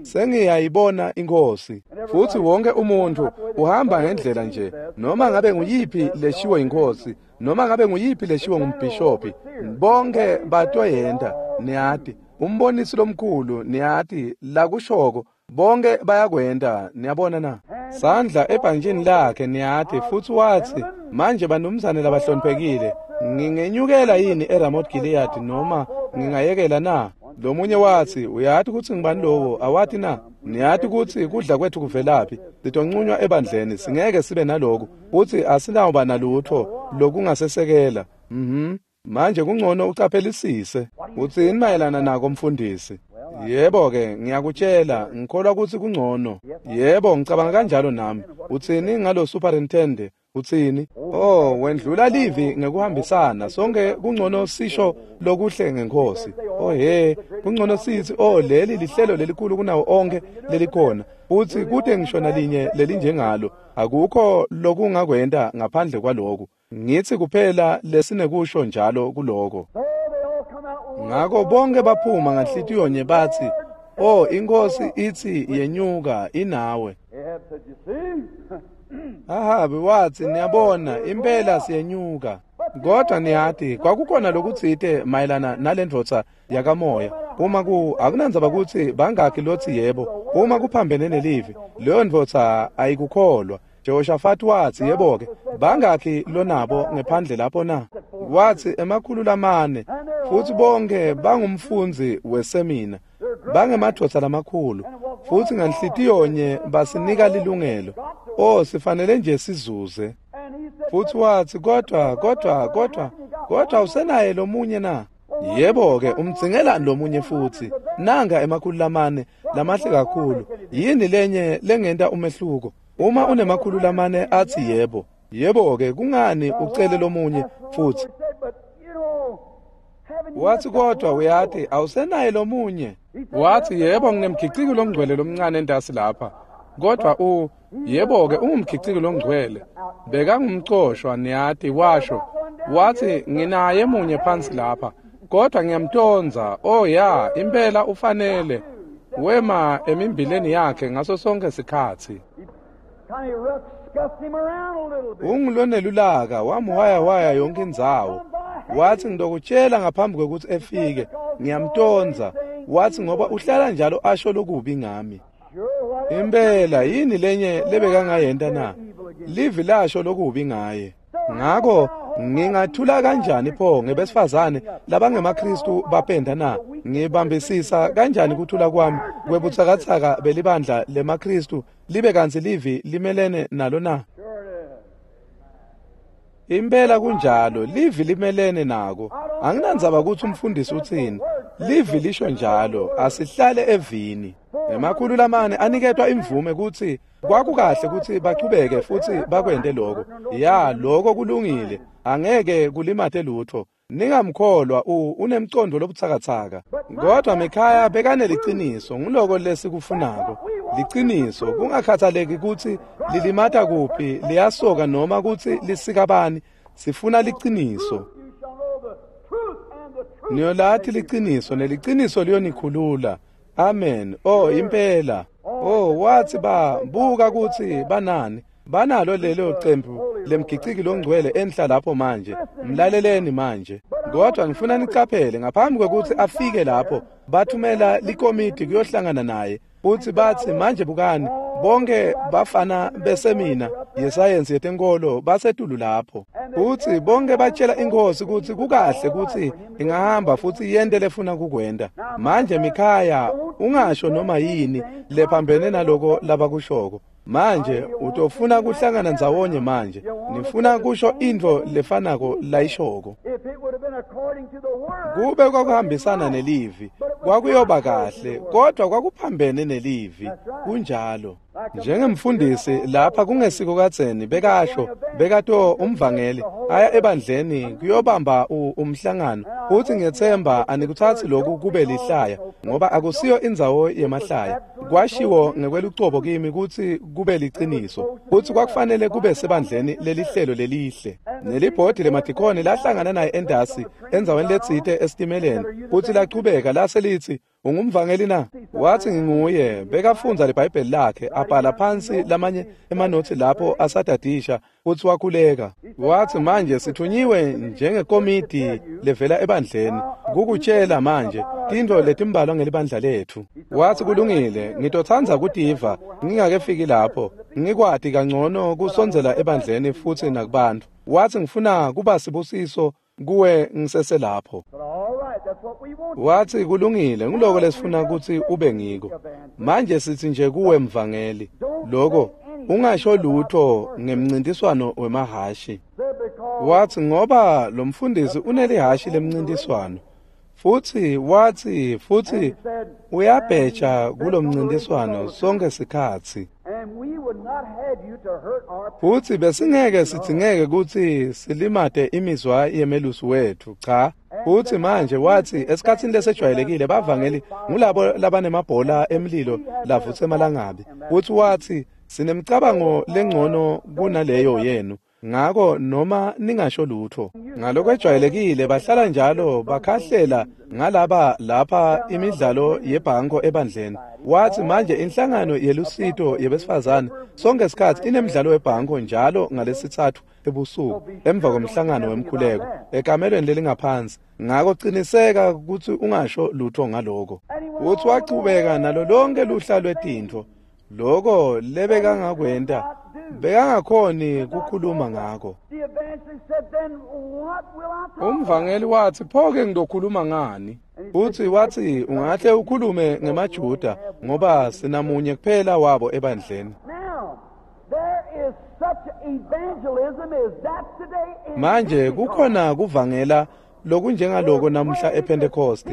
sengiyayibona iNkhosi. Futsi wonke umuntfu uhamba ngendlela nje, noma ngabe nguyiphi leshiwo iNkhosi, noma ngabe nguyiphi leshiwo ngumbhishobhi, bonke batoyenta, niyati. Umbonisi lomkhulu, niyati, lakushoko, bonke bayakwenta, niyabona na? Sandla ebhantjini lakhe, niyati, futsi watsi, manje banumzane labahloniphekile, ngingenyukela yini eRamoth Gilead noma ngingayekela na? Lomunye watsi, uyati kutsi ngibani lowo, awati na? Niyati kutsi kudla kwethu kuvelaphi, sitonqunywa ebandleni, singeke sibe naloku, futsi asinawuba nalutho lokungasesekela. Manje kungcono ucaphelisise. Utsini mayelana nako mfundisi? Yebo-ke, ngiyakutshela, ngikholwa kutsi kungcono. Yebo, ngicabanga kanjalo nami. Utsini ngalo superintendent? Utsini? Oh, wendlula livi ngekuhambisana. Sonke kungcono sisho lokuhle ngeNkhosi. Oh he, kungcono sithi, oh leli lihlelo lelikhulu kunawo onke lelikhona. Futsi kute ngisho nalinye lelinjengalo. Akukho lokungakwenta ngaphandle kwaloku. Ngitsi kuphela lesinekusho njalo kuloko. Ngako bonke baphuma nganhlitiyonye batsi, oh iNkhosi itsi yenyuka inawe. Ahabi watsi, niyabona, impela siyenyuka. Kodwa niyati, kwakukhona lokutsite mayelana nalendvodza yakamoya. Uma akunandzaba kutsi bangakhi lotsi yebo, uma kuphambene nelivi, leyo ndvodza ayikukholwa. Jehoshaphat watsi, yebo-ke, bangakhi lonabo ngephandle lapho na? Watsi 400, futsi bonke bangumfundzi wesemina, bangemadvodza lamakhulu, futsi nganhlitiyonye basinika lilungelo. Oh, sifanele nje sizuze. Futsi watsi, kodwa usenaye lomunye na? Yebo-ke, umdzingelani lomunye futsi? Nanga 400 lamahle kakhulu. Yini lenye lengenta umehluko? Uma une-400 atsi yebo, yebo-ke, kungani ucele lomunye futsi? Watsi, kodwa uyati, awusenaye lomunye. Watsi, yebo, nginemgiciki longcwele lomncane entasi lapha. Kodwa yebo-ke, ungumgiciki longcwele. Bekangumcoshwa, niyati, washo. Watsi, nginaye munye phansi lapha, kodwa ngiyamtondza. Oh ya, impela ufanele. Wema emimbileni yakhe ngaso sonke sikhatsi. Ungulonelulaka, wamhwayahwaya yonke indzawo. Watsi, ngitokutshela ngaphambi kwekutsi efike, ngiyamtondza. Watsi, ngoba uhlala njalo asho lokubi ngami. Impela yini lenye lebekangayenta na? Livi lasho lokubi ngaye. Ngako ngingathula kanjani pho ngebesifazane labangemaKristu bapenda na? Ngibambisisa kanjani kuthula kwami kwebutsakatsaka belibandla lemaKristu libe kantsi livi limelene nalo na? Impela kunjalo, livi limelene nako. Anginandzaba kutsi umfundisi utsini, livi lisho njalo, asihlale evini. 400 aniketwa imvume kutsi kwakukahle kutsi bachubeke futsi bakwente lokho. Ya, lokho kulungile, angeke kulimate lutho. Ningamkholwa unemcondo lobutsakatsaka. Kodwa Mikhaya bekaneliciniso, nguloko lesikufunako. Liciniso, kungakhathaleki kutsi lilimata kuphi, liyasoka noma kutsi lisikabani, sifuna liciniso. Niyolati liciniso, neliciniso liyonikhulula. Amen. Oh, impela. Oh, watsi buka kutsi banani. Banalo lelo cembu lemgiciki longcwele enhla lapho manje. Mlaleleni manje. Kodwa ngifuna nicaphele ngaphambi kwekutsi afike lapho, bathumela likomiti kuyohlangana naye. Futsi batsi, manje bukani, bonke bafana besemina yesayensi yetenkolo basetulu lapho. Futsi bonke batshela inkhosi kutsi kukahle kutsi ingahamba futsi yente lefuna kukwenta. Manje Mikhaya, ungasho noma yini lephambene naloko labakushoko. Manje utofuna kuhlangana ndzawonye manje. Nifuna kusho intfo lefanako layishoko. Kube kwakuhambisana nelivi, Kwakuyoba kahle, kodwa kwakuphambene nelivi. Kunjalo. Njengemfundisi lapha kungesiko kadzeni bekasho bekato umvangeli aya ebandleni kuyobamba umhlangano uthi ngethemba anikuthathi lokhu kube lihlaya ngoba akusiyo indzawo yemahlaya. Kwashiwo ngekwelucobo kimi kutsi kube liciniso kutsi kwakufanele kube sebandleni lelihlelo lelihle. Nelibhodi lemadikoni lahlangana naye endasi endzaweni letsite esitimeleni kutsi lachubeka lase litsi ungumvangeli na? Wathi nginguye. Bekafundza liBhayibheli lakhe abhala phansi lamanye emanothi lapho asadadisha futhi wakhuleka. Wathi manje sithunyiwe njengekomiti levela ebandleni kukutshela manje tintfo letimbalwa ngelibandla lethu. Wathi kulungile, ngitotsandza kutiva ngingakefiki lapho ngikwati kangcono kusondzela ebandleni futhi nakubantu. Wathi ngifuna kuba sibusiso kuwe ngiseselapho. Wathi kulungile, ngiloko lesifuna ukuthi ube ngiko. Manje sithi nje kuwe mvangeli, lokho ungasho lutho ngemncintiswano wemahashi. Wathi ngoba lo mfundisi unelihashi lemncintiswano. Futhi wathi futhi uyabheja kulomncintiswano sonke sikhatsi. Futhi besingeke sidzingeke ukuthi silimate imizwa yemelusi wethu, cha. Futhi manje wathi esikhatsini lesejwayelekile bavangeli ngulabo labanemabhola emlilo lavutsa emalangabi. Futhi wathi sinemcabango lengcono kunaleyo yenu, ngako noma ningasho lutho. Ngalokwejwayelekile bahlala njalo bakhahlela ngalaba lapha imidlalo yebhanko ebandleni. Wathi manje inhlangano yelusito yebesifazane sonke sikhathi inemidlalo webhanko njalo ngalesithathu ebusuku emva komhlangano wemkhuleko ekamelweni lelingaphansi. Ngako ciniseka ukuthi ungasho lutho ngaloko. Uthi wachubeka nalo lonke luhla lwetintfo loko lebekangakwenta bekangakhoni kukhuluma ngako. Umvangeli wathi pho-ke ngizokhuluma ngani? Uthi wathi ungahle ukhulume ngemaJuda ngoba sinamunye kuphela wabo ebandleni. Manje kukhona kuvangela lokunjengaloko namuhla ePentecost.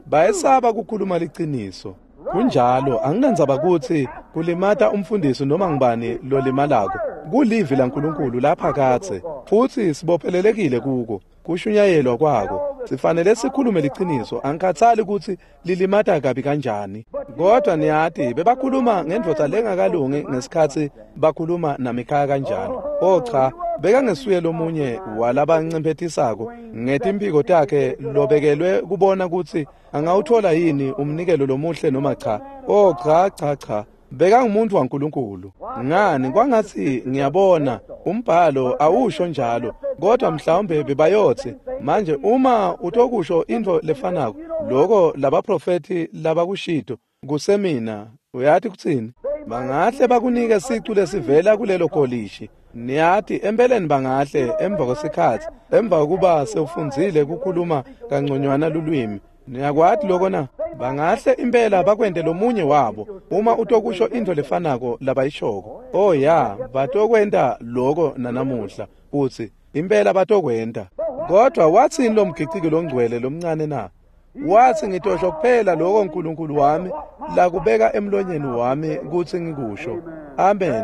Bayesaba kukhuluma liciniso. Kunjalo, anginandzaba kutsi kulimata umfundisi noma ngibani lolimalako. Kulivi laNkulunkulu lapha kadze futhi sibophelelekile kuko kushunyayelwa kwako. Sifanele sikhulume liciniso, angikhathali kutsi lilimata kabi kanjani. Kodwa niyati bebakhuluma ngendvodza lengakalungi ngesikhatsi bakhuluma naMikhaya kanjalo. Oh cha, bekangesuye lomunye walabancemphetisako ngetimphiko takhe lobekelwe kubona kutsi angawuthola yini umnikelo lomuhle noma cha. Oh cha cha cha, bekangumuntu waNkulunkulu. Ngani kwangathi ngiyabona umbhalo awusho njalo, kodwa mhlawumbe bebayotsi manje uma utokusho intfo lefanako loko labaprofethi labakushito kusemina, uyathi kutsini? Bangahle bakunike sicu lesivela kulelo kolishi. Niyati empeleni bangahle emva kwesikhatsi emva kokuba sewufundzile kukhuluma kangconywana lulwimi. Niyakwati loko na? Bangahle impela bakwente lomunye wabo uma utokusho intfo lefanako labayishoko. Oh ya, batokwenta loko nanamuhla utsi impela batokwenta. Kodwa watsini lo mgiciki longcwele lomncane na? Wathi ngitosho kuphela lokho uNkulunkulu wami lakubeka emlonyeni wami kutsi ngikusho. Amen.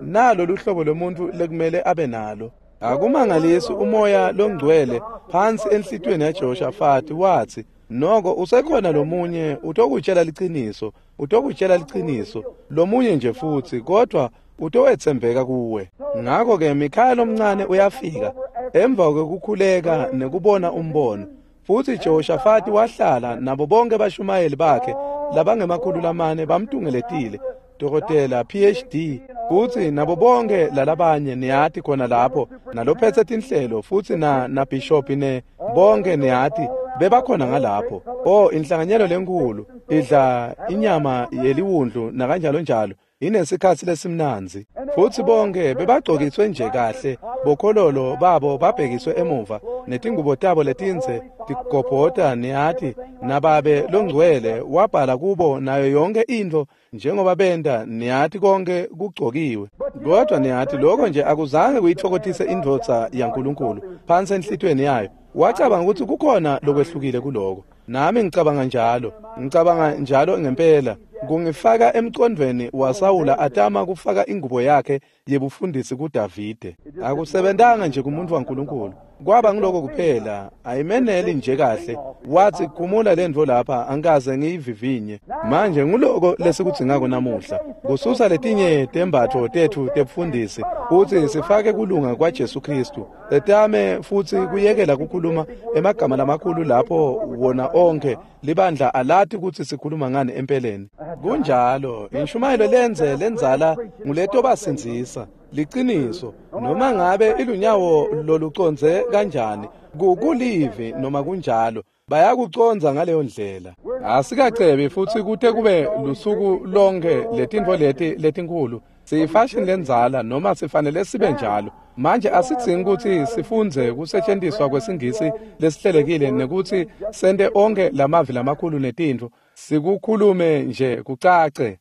Nalo luhlobo lomuntu lekumele abe nalo. Akumangalisi umoya longcwele phansi enhlitiyweni yaJehoshafati wathi noko usekhona lomunye utokutshela liciniso, utokutshela liciniso lomunye nje futhi, kodwa utowetsembeka kuwe. Ngakho ke Mikhaya lomncane uyafika emva kwekukhuleka nekubona umbono. Futhi Jehoshafati wahlala nabo bonke bashumayeli bakhe labangemakhulu lamane bamtungeletile, dokotela PhD, futhi nabo bonke lalabanye niyati khona lapho nalophethe tinhlelo futhi na bishop ne bonke niyati bebakhona ngalapho. Oh, inhlanganyelo lenkulu idla inyama yeliwundlu nakanjalo njalo, inesikhatsi lesimnandzi. Futhi bonke bebagcokiswe nje kahle, bokhololo babo babhekiswe emuva netingubo tabo letindze tigobhota niyati, nababe longcwele wabhala kubo nayo yonke intfo njengoba benta niyati konke kugcokiwe. Kodwa niyati lokho nje akuzange kuyithokotise indvodza yaNkulunkulu phansi enhlitiyweni yayo. Wacabanga ukuthi kukhona lokwehlukile kuloko. Nami ngicabanga njalo. Ngicabanga njalo ngempela. Kungifaka emcondvweni waSawula atama kufaka ingubo yakhe yebufundisi kuDavide. Akusebentanga nje kumuntu waNkulunkulu. Kwaba ngiloko kuphela, ayimeneli nje kahle. Wathi khumula lentfo lapha, angikaze ngiyivivinye. Manje nguloko lesikudzingako namuhla. Kususa letinye tembatfo tetfu tebufundisi futsi sifake kulunga kwaJesu Khristu. Setame futsi kuyekela kukhuluma emagama lamakhulu lapho wona onkhe libandla alati kutsi sikhuluma ngani empeleni. Kunjalo, inshumayelo lenze lenzala nguletobasindzisa. Liciniso, noma ngabe ilunyawo loluconze kanjani, kulivi noma kunjalo, bayakucondza ngaleyo ndlela. Asikacebi futsi kute kube lusuku lonke letintfo leti letinkhulu. Siyifashini lendzala noma sifanele sibe njalo. Manje asidzingi kutsi sifundze kusetshenziswa kwesingisi lesihlelekile nekutsi sente onke lamavi lamakhulu netintfo. Sikukhulume nje kucace.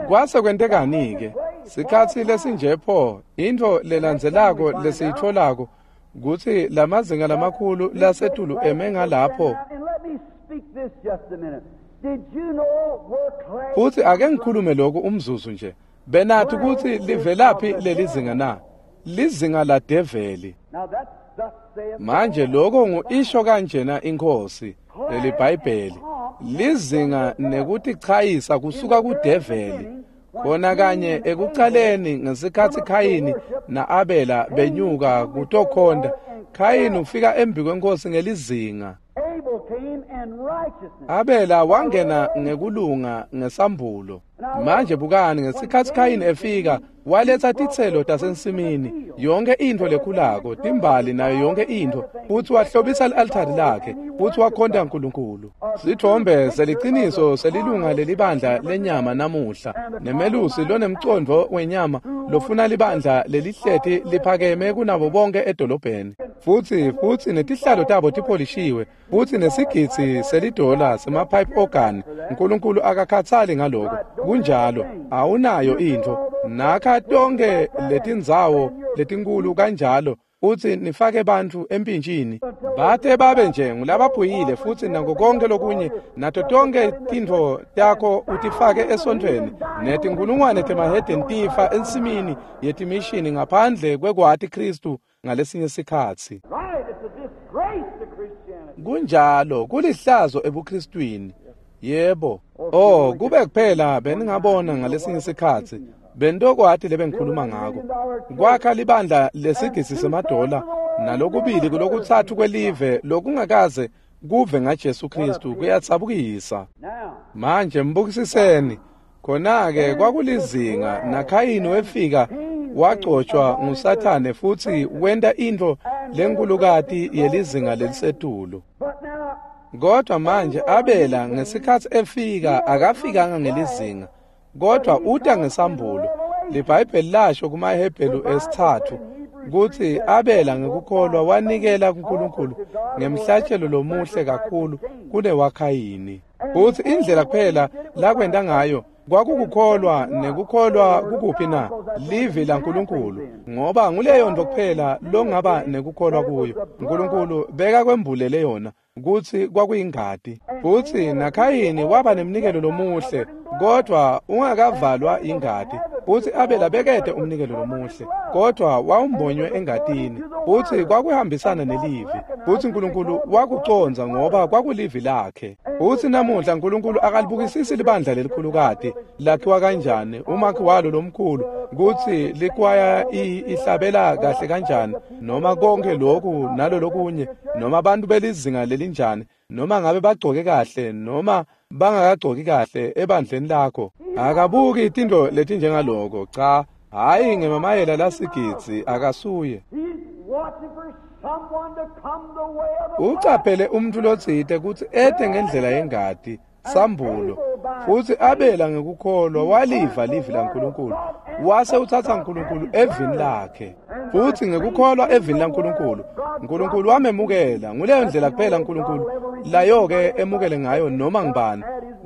Kwase kwentekani-ke? Sikhatsi lesinje pho, intfo lelandzelako lesiyitfolako kutsi lamazinga lamakhulu lasetulu eme ngalapho. Futsi ake ngikhulume lokhu umzuzu nje. Benathi kutsi livelaphi lelizinga na? Lizinga ladeveli. Manje lokho ngu-isho kanjena inkosi leliBhayibheli. Lizinga nekutichayisa kusuka kudeveli. Khona kanye ekucaleni ngesikhatsi Khayini na-Abela benyuka kutokhonta, Khayini ufika embi kwenkosi ngelizinga. Abela wangena ngekulunga ngesambulo. Manje bukani ngesikhatsi Khayini efika waletsa titselo tasensimini, yonke intfo lekhulako, timbali nayo yonke intfo, futsi wahlobisa li-altari lakhe, futsi wakhonta uNkulunkulu. Sithombe seliciniso selilunga lelibandla lenyama namuhla, nemelusi lonemcondvo wenyama lofuna libandla lelihleti liphakeme kunabo bonke edolobheni. Futsi netihlalo tabo tipholishiwe, futsi nesigidzi selidola sema-pipe organ. uNkulunkulu akakhatsali ngaloko. Kunjalo, awunayo intfo. Nakha tonke letindzawo letinkulu kanjalo, futsi nifake bantfu empintshini. Bate babe nje ngulabaphuyile futsi nako konke lokunye, nato tonke tintfo takho utifake esontfweni, netinkhulungwane temahedeni tifa ensimini yetimishini ngaphandle kwekwati Khristu ngalesinye sikhatsi. Kunjalo, kulihlazo ebuKristwini. Yebo. Oh, kube kuphela beningabona ngalesinye sikhatsi. Bentokwati lebengikhuluma ngako. Kwakha libandla lesigisi semadola nalokubili kulokutsatfu kwelive lokungakaze kuve ngaJesu Khristu kuyatsabukisa. Manje mbukisiseni. Khona-ke kwakulizinga naKhayini wefika wagcotshwa nguSathane futsi wenta intfo lenkulukati yelizinga lelisetulu. Kodwa manje Abela ngesikhatsi efika akafikanga ngelizinga, kodwa uta ngesambulo. LiBhayibheli lasho kumaHebheru 3 kutsi Abela ngekukholwa wanikela kuNkulunkulu ngemhlatshelo lomuhle kakhulu kunewaKhayini. Futsi indlela kuphela lakwenta ngayo kwakukukholwa, nekukholwa kukuphi na? Livi laNkulunkulu, ngoba nguleyo nto kuphela longaba nekukholwa kuyo. uNkulunkulu bekakwembulele yona kutsi kwakuyingati. Futsi naKhayini waba nemnikelo lomuhle, kodwa ungakavalwa ingati. Futsi Abela bekete umnikelo lomuhle, kodwa wawumbonywe engatini. Futsi kwakuhambisana nelivi. Futsi uNkulunkulu wakucondza ngoba kwakulivi lakhe. Futsi namuhla uNkulunkulu akalibukisisi libandla lelikhulukati lakhiwa kanjani, umakhi walo lomkhulu, kutsi likwaya ihlabela kahle kanjani, noma konke lokhu nalolokunye, noma abantu belizinga lelinjani, noma ngabe bagcoke kahle noma bangakagcoki kahle ebandleni lakho. Akabuki tintfo letinjengaloko. Cha, hhayi ngemamayela lasigidzi, akasuye. Ucaphele umntfu lotsite kutsi ete ngendlela yengati, sambulo. Futsi Abela ngekukholwa waliva livi laNkulunkulu. Wase utsatsa Nkulunkulu evini lakhe. Futsi ngekukholwa evini laNkulunkulu, Nkulunkulu wamemukela. Nguleyo ndlela kuphela Nkulunkulu layo-ke emukele ngayo noma ngubani.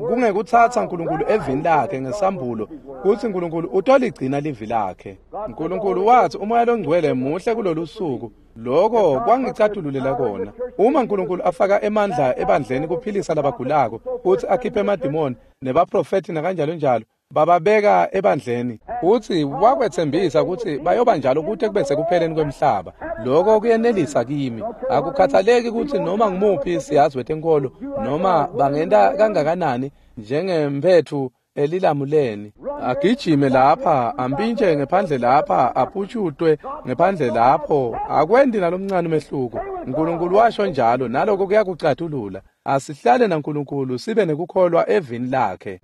Kungekutsatsa Nkulunkulu evini lakhe ngesambulo kutsi Nkulunkulu utoligcina livi lakhe. Nkulunkulu watsi uMoya loNgcwele muhle kulolu suku. Lokho kwangicatululela kona. Uma Nkulunkulu afaka emandla ebandleni kuphilisa labagulako, futsi akhiphe emadimoni nebaprofethi nakanjalo njalo, bababeka ebandleni, futsi wakwetsembisa kutsi bayoba njalo kute kube sekupheleni kwemhlaba. Lokho kuyenelisa kimi. Akukhathaleki kutsi noma ngumuphi siyazi wetenkolo noma bangenta kangakanani njengemphetfu elilamuleni, agijime lapha, ampintshe ngephandle lapha, aphutshutwe ngephandle lapho, akwendi nalomncane umehluko. Nkulunkulu washo njalo, naloko kuyakucatulula. Asihlale naNkulunkulu sibe nekukholwa evini lakhe.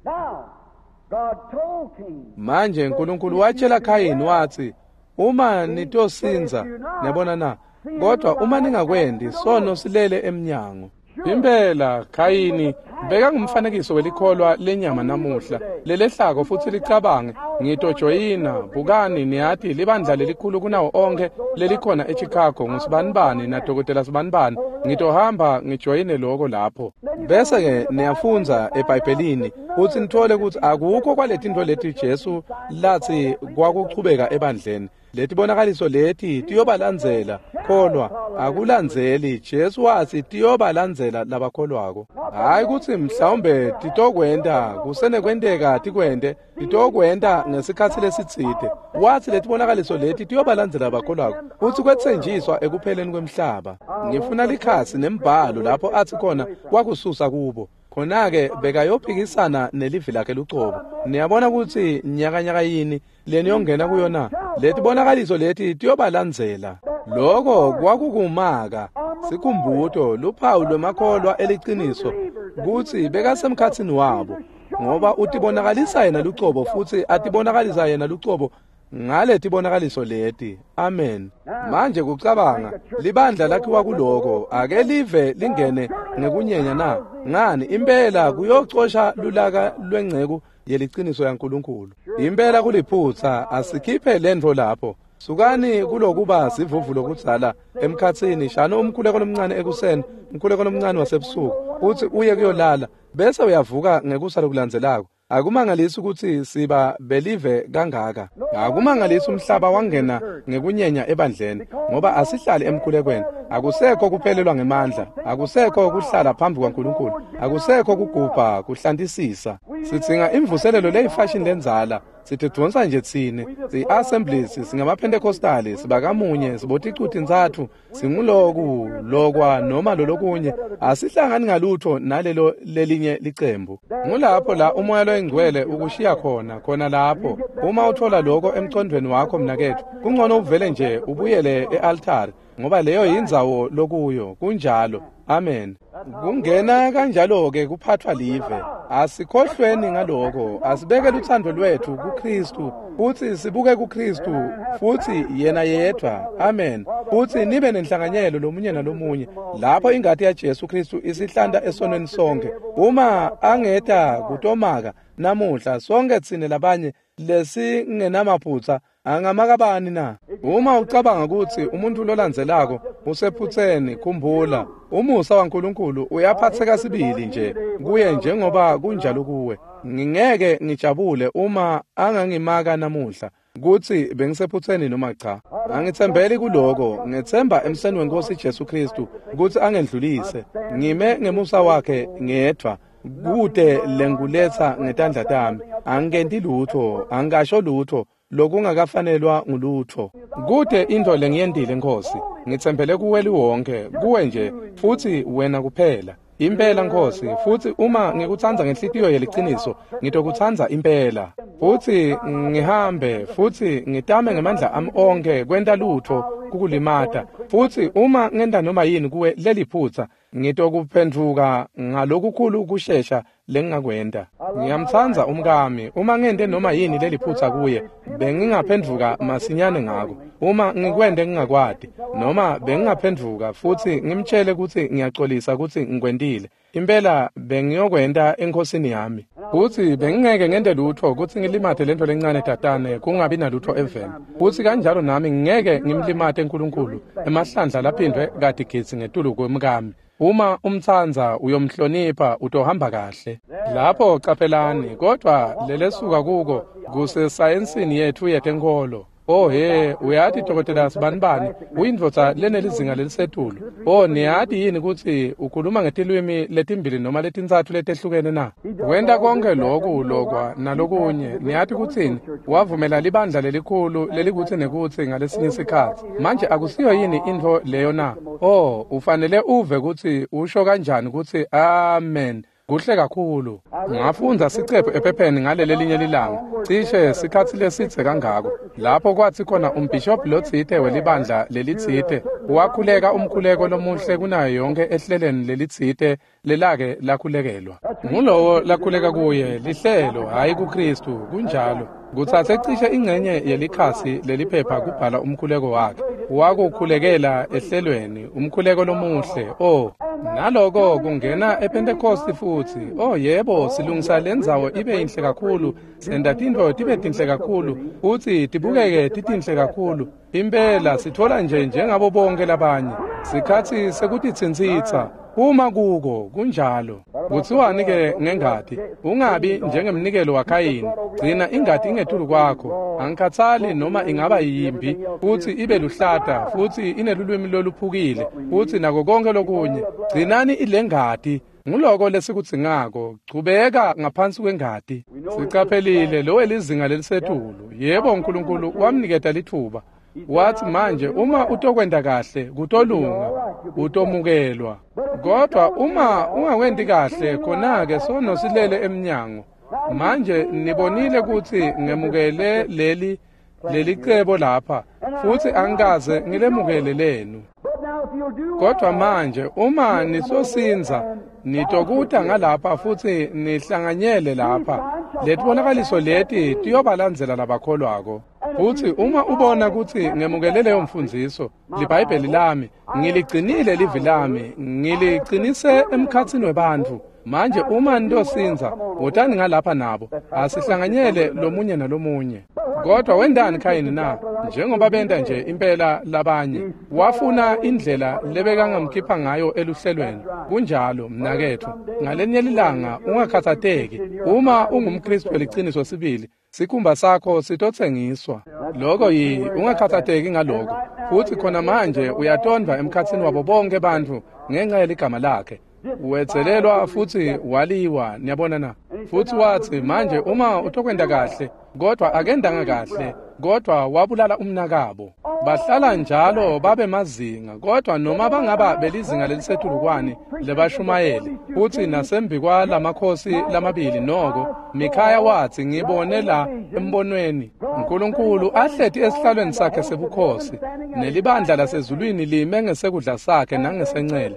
Manje Nkulunkulu watshela Khayini watsi, uma nitosinza, niyabona na, kodwa uma ningakwendi, sono silele emnyango. Impela Khayini bekangumfanekiso welikholwa lenyama namuhla lelehlako futsi licabange, ngitojoyina, bukani, niyati libandla lelikhulu kunawo onke lelikhona eChicago ngusibanibani nadokotela sibanibani, ngitohamba ngijoyine loko lapho. Bese-ke niyafundza eBhayibhelini futsi nitfole kutsi akukho kwaletintfo leti Jesu latsi kwakuchubeka ebandleni. Letibonakaliso leti tiyobalandzela, kholwa akulandzeli. Jesu watsi tiyobalandzela labakholwako. Hayi kutsi mhlawumbe titokwenta, kusenekwenteka tikwente, titokwenta ngesikhatsi lesitsite. Watsi letibonakaliso leti tiyobalandzela labakholwako, futsi kwetsenjiswa ekupheleni kwemhlaba. Ngifuna likhasi nembhalo lapho atsi khona wakususa kubo. Khona-ke bekayophikisana nelivi lakhe lucobo. Niyabona kutsi nyakanyaka yini leniyongena kuyo na? Letibonakaliso leti tiyobalandzela. Loko kwakukumaka sikhumbuto, luphawu lwemakholwa eliciniso kutsi bekasemkhatsini wabo, ngoba utibonakalisa yena lucobo futsi atibonakalisa yena lucobo ngaletibonakaliso leti. Amen. Manje kucabanga libandla lakhiwa kuloko, ake live lingene ngekunyenya na? Ngani, impela kuyocosha lulaka lwengceku yeliciniso yaNkulunkulu. Impela kuliphutsa, asikhiphe lentfo lapho. Sukani kulokuba sivuvu lokudzala emkhatsini, shano umkhuleko lomncane ekuseni, umkhuleko lomncane wasebusuku, futsi uye kuyolala, bese uyavuka ngekusa lokulandzelako. Akumangalisi kutsi siba belive kangaka. Akumangalisi umhlaba wangena ngekunyenya ebandleni, ngoba asihlali emkhulekweni. Akusekho kuphelelwa ngemandla, akusekho kuhlala phambi kwaNkulunkulu, akusekho kugubha, kuhlantisisa. Sidzinga imvuselelo leyifashion lendzala. Sitidvonsa nje tsine, si-Assemblies, singamaPentecostali, sibakamunye, siboticutintsatfu, singuloku, lokwa noma lolokunye. Asihlangani ngalutho nalelo lelinye licembu. Ngulapho la uMoya loyiNgcwele ukushiya khona, khona lapho. Uma uthola lokho emcondvweni wakho mnaketfu, kungcono uvele nje ubuyele e-altari, ngoba leyo yindzawo lokuyo. Kunjalo. Amen. Kungena kanjalo-ke kuphathwa live. Asikhohlweni ngaloko, asibeke lutsandvo lwetfu kuKhristu, futsi sibuke kuKhristu, futsi yena yedvwa. Amen. Futsi nibe nenhlanganyelo lomunye nalomunye, lapho ingati yaJesu Khristu isihlanta esonweni sonke. Uma angeta kutomaka namuhla, sonke tsine labanye lesingenamaphutsa angamakabani na? Uma ucabanga kutsi umuntu lolandzelako usephutseni, khumbula, umusa waNkulunkulu uyaphatseka sibili nje kuye njengoba kunjalo kuwe. Ngingeke ngijabule uma angangimaka namuhla kutsi bengisephutseni noma cha. Angitsembeli kuloko, ngetsemba emseni wenkosi Jesu Khristu kutsi angendlulise. Ngime ngemusa wakhe ngedvwa, kute lenguletsa ngetandla tami. Angikenti lutho, angisho lutho lokungakafanelwa ngulutho. Kute into lengiyentile Nkosi, ngitsembele kuwe liwonke, kuwe nje, futsi wena kuphela. Impela Nkosi, futsi uma ngikutsandza ngenhlitiyo yeliciniso, ngitokutsandza impela. Futsi ngihambe, futsi ngitame ngemandla ami onke kwenta lutho kukulimata. Futsi uma ngenta noma yini kuwe leliphutsa, ngitokuphendvuka ngalokukhulu kushesha lengingakwenta. Ngiyamtsandza umkami. Uma ngente noma yini leliphutsa kuye, bengingaphendvuka masinyane ngako. Uma ngikwente ngingakwati, noma bengingaphendvuka futsi ngimtshele kutsi ngiyaxolisa kutsi ngikwentile. Impela bengiyokwenta enkhosini yami. Futsi bengingeke ngente lutfo kutsi ngilimate lentfo lencane tatane kungabi nalutfo eveni. Futsi kanjalo nami ngingeke ngimlimate uNkulunkulu emahlandla laphindwe katigidzi ngetulu kwemkami. Uma umtsandza uyomhlonipha utohamba kahle. Lapho caphelani, kodvwa lelesuka kuko kusesayensini yetfu yetenkholo. Oh he, uyati dokotela sibanibani uyindvodza lenelizinga lelisetulu. Oh, niyati yini kutsi ukhuluma ngetilwimi letimbili noma letintsatfu letehlukene na? Wenta konke loku lokwa nalokunye. Niyati kutsini? Wavumela libandla lelikhulu lelikutsi nekutsi ngalesinye sikhatsi. Manje akusiyo yini intfo leyo na? Oh, ufanele uve kutsi usho kanjani kutsi amen. Kuhle kakhulu. Ngafundza sicephu ephepheni ngaleli linye lilanga, cishe sikhatsi lesitse kangako, lapho kwatsi khona umbhishobhi lotsite welibandla lelitsite wakhuleka umkhuleko lomuhle kunayo yonke ehleleni lelitsite lelake lakhulekelwa. Ngulowo lakhuleka kuye lihlelo, hhayi kuKhristu. Kunjalo. Kutsatse cishe ingcenye yelikhasi leliphepha kubhala umkhuleko wakhe. Wakukhulekela ehlelweni, umkhuleko lomuhle. Oh, naloko kungena ePentecost futsi. Oh yebo, silungisa lendzawo ibe inhle kakhulu, senta tintfo tibe tinhle kakhulu, futsi tibukeke titinhle kakhulu. Impela sitfola nje njengabo bonke labanye. Sikhatsi sekutitsintsitsa. Uma kuko kunjalo. Kutsiwani ke ngengati? Ungabi njengemnikelo waKhayini. Gcina ingati ingetulu kwakho. Angikhatsali noma ingaba yimbi, futsi ibe luhlata, futsi inelulwimi loluphukile, futsi nako konke lokunye. Gcinani ilengati. Nguloko lesikudzingako. Chubeka ngaphansi kwengati. Sicaphelile lowe lizinga lelisetulu. Yebo, uNkulunkulu wamniketa litfuba. Wathi manje uma utokwenta kahle kutolunga, utomukelwa. Kodwa uma ungakwenti kahle, khona-ke sono silele emnyango. Manje nibonile kutsi ngemukele leli cebo lapha, futsi angikaze ngilemukele lenu. Kodwa manje uma nisosindza, nitokuta ngalapha futsi nihlanganyele lapha. Letibonakaliso leti tiyobalandzela labakholwako. Futsi uma ubona kutsi ngemukele leyo mfundziso, liBhayibheli lami, ngiligcinile livi lami, ngiliqinise emkhatsini webantfu. Manje uma nitosindza, wotani ngalapha nabo, asihlanganyele lomunye nalomunye. Kodwa wendani Khayini na? Njengoba benta nje impela labanye, wafuna indlela lebekangamkhipha ngayo eluhlelweni. Kunjalo, mnaketfu, ngalenye lilanga ungakhathateki. Uma ungumKhristu weliciniso sibili, sikhumba sakho sitotsengiswa. Loko ungakhathateki ngaloko. Futsi khona manje uyatondwa emkhatsini wabo bonke bantfu ngenxa yeligama lakhe. Wetselelwa futsi waliwa, niyabona na? Futsi watsi manje uma utokwenta kahle, kodwa akendanga kahle, kodwa wabulala umnakabo. Bahlala njalo babe mazinga, kodwa noma bangaba belizinga lelisetulu kwani lebashumayeli. Futsi nasembi kwalamakhosi lamabili noko, Mikhaya watsi ngibone la embonweni uNkulunkulu ahleti esihlalweni sakhe sebukhosi, nelibandla lasezulwini lime ngesekudla sakhe nangesencele.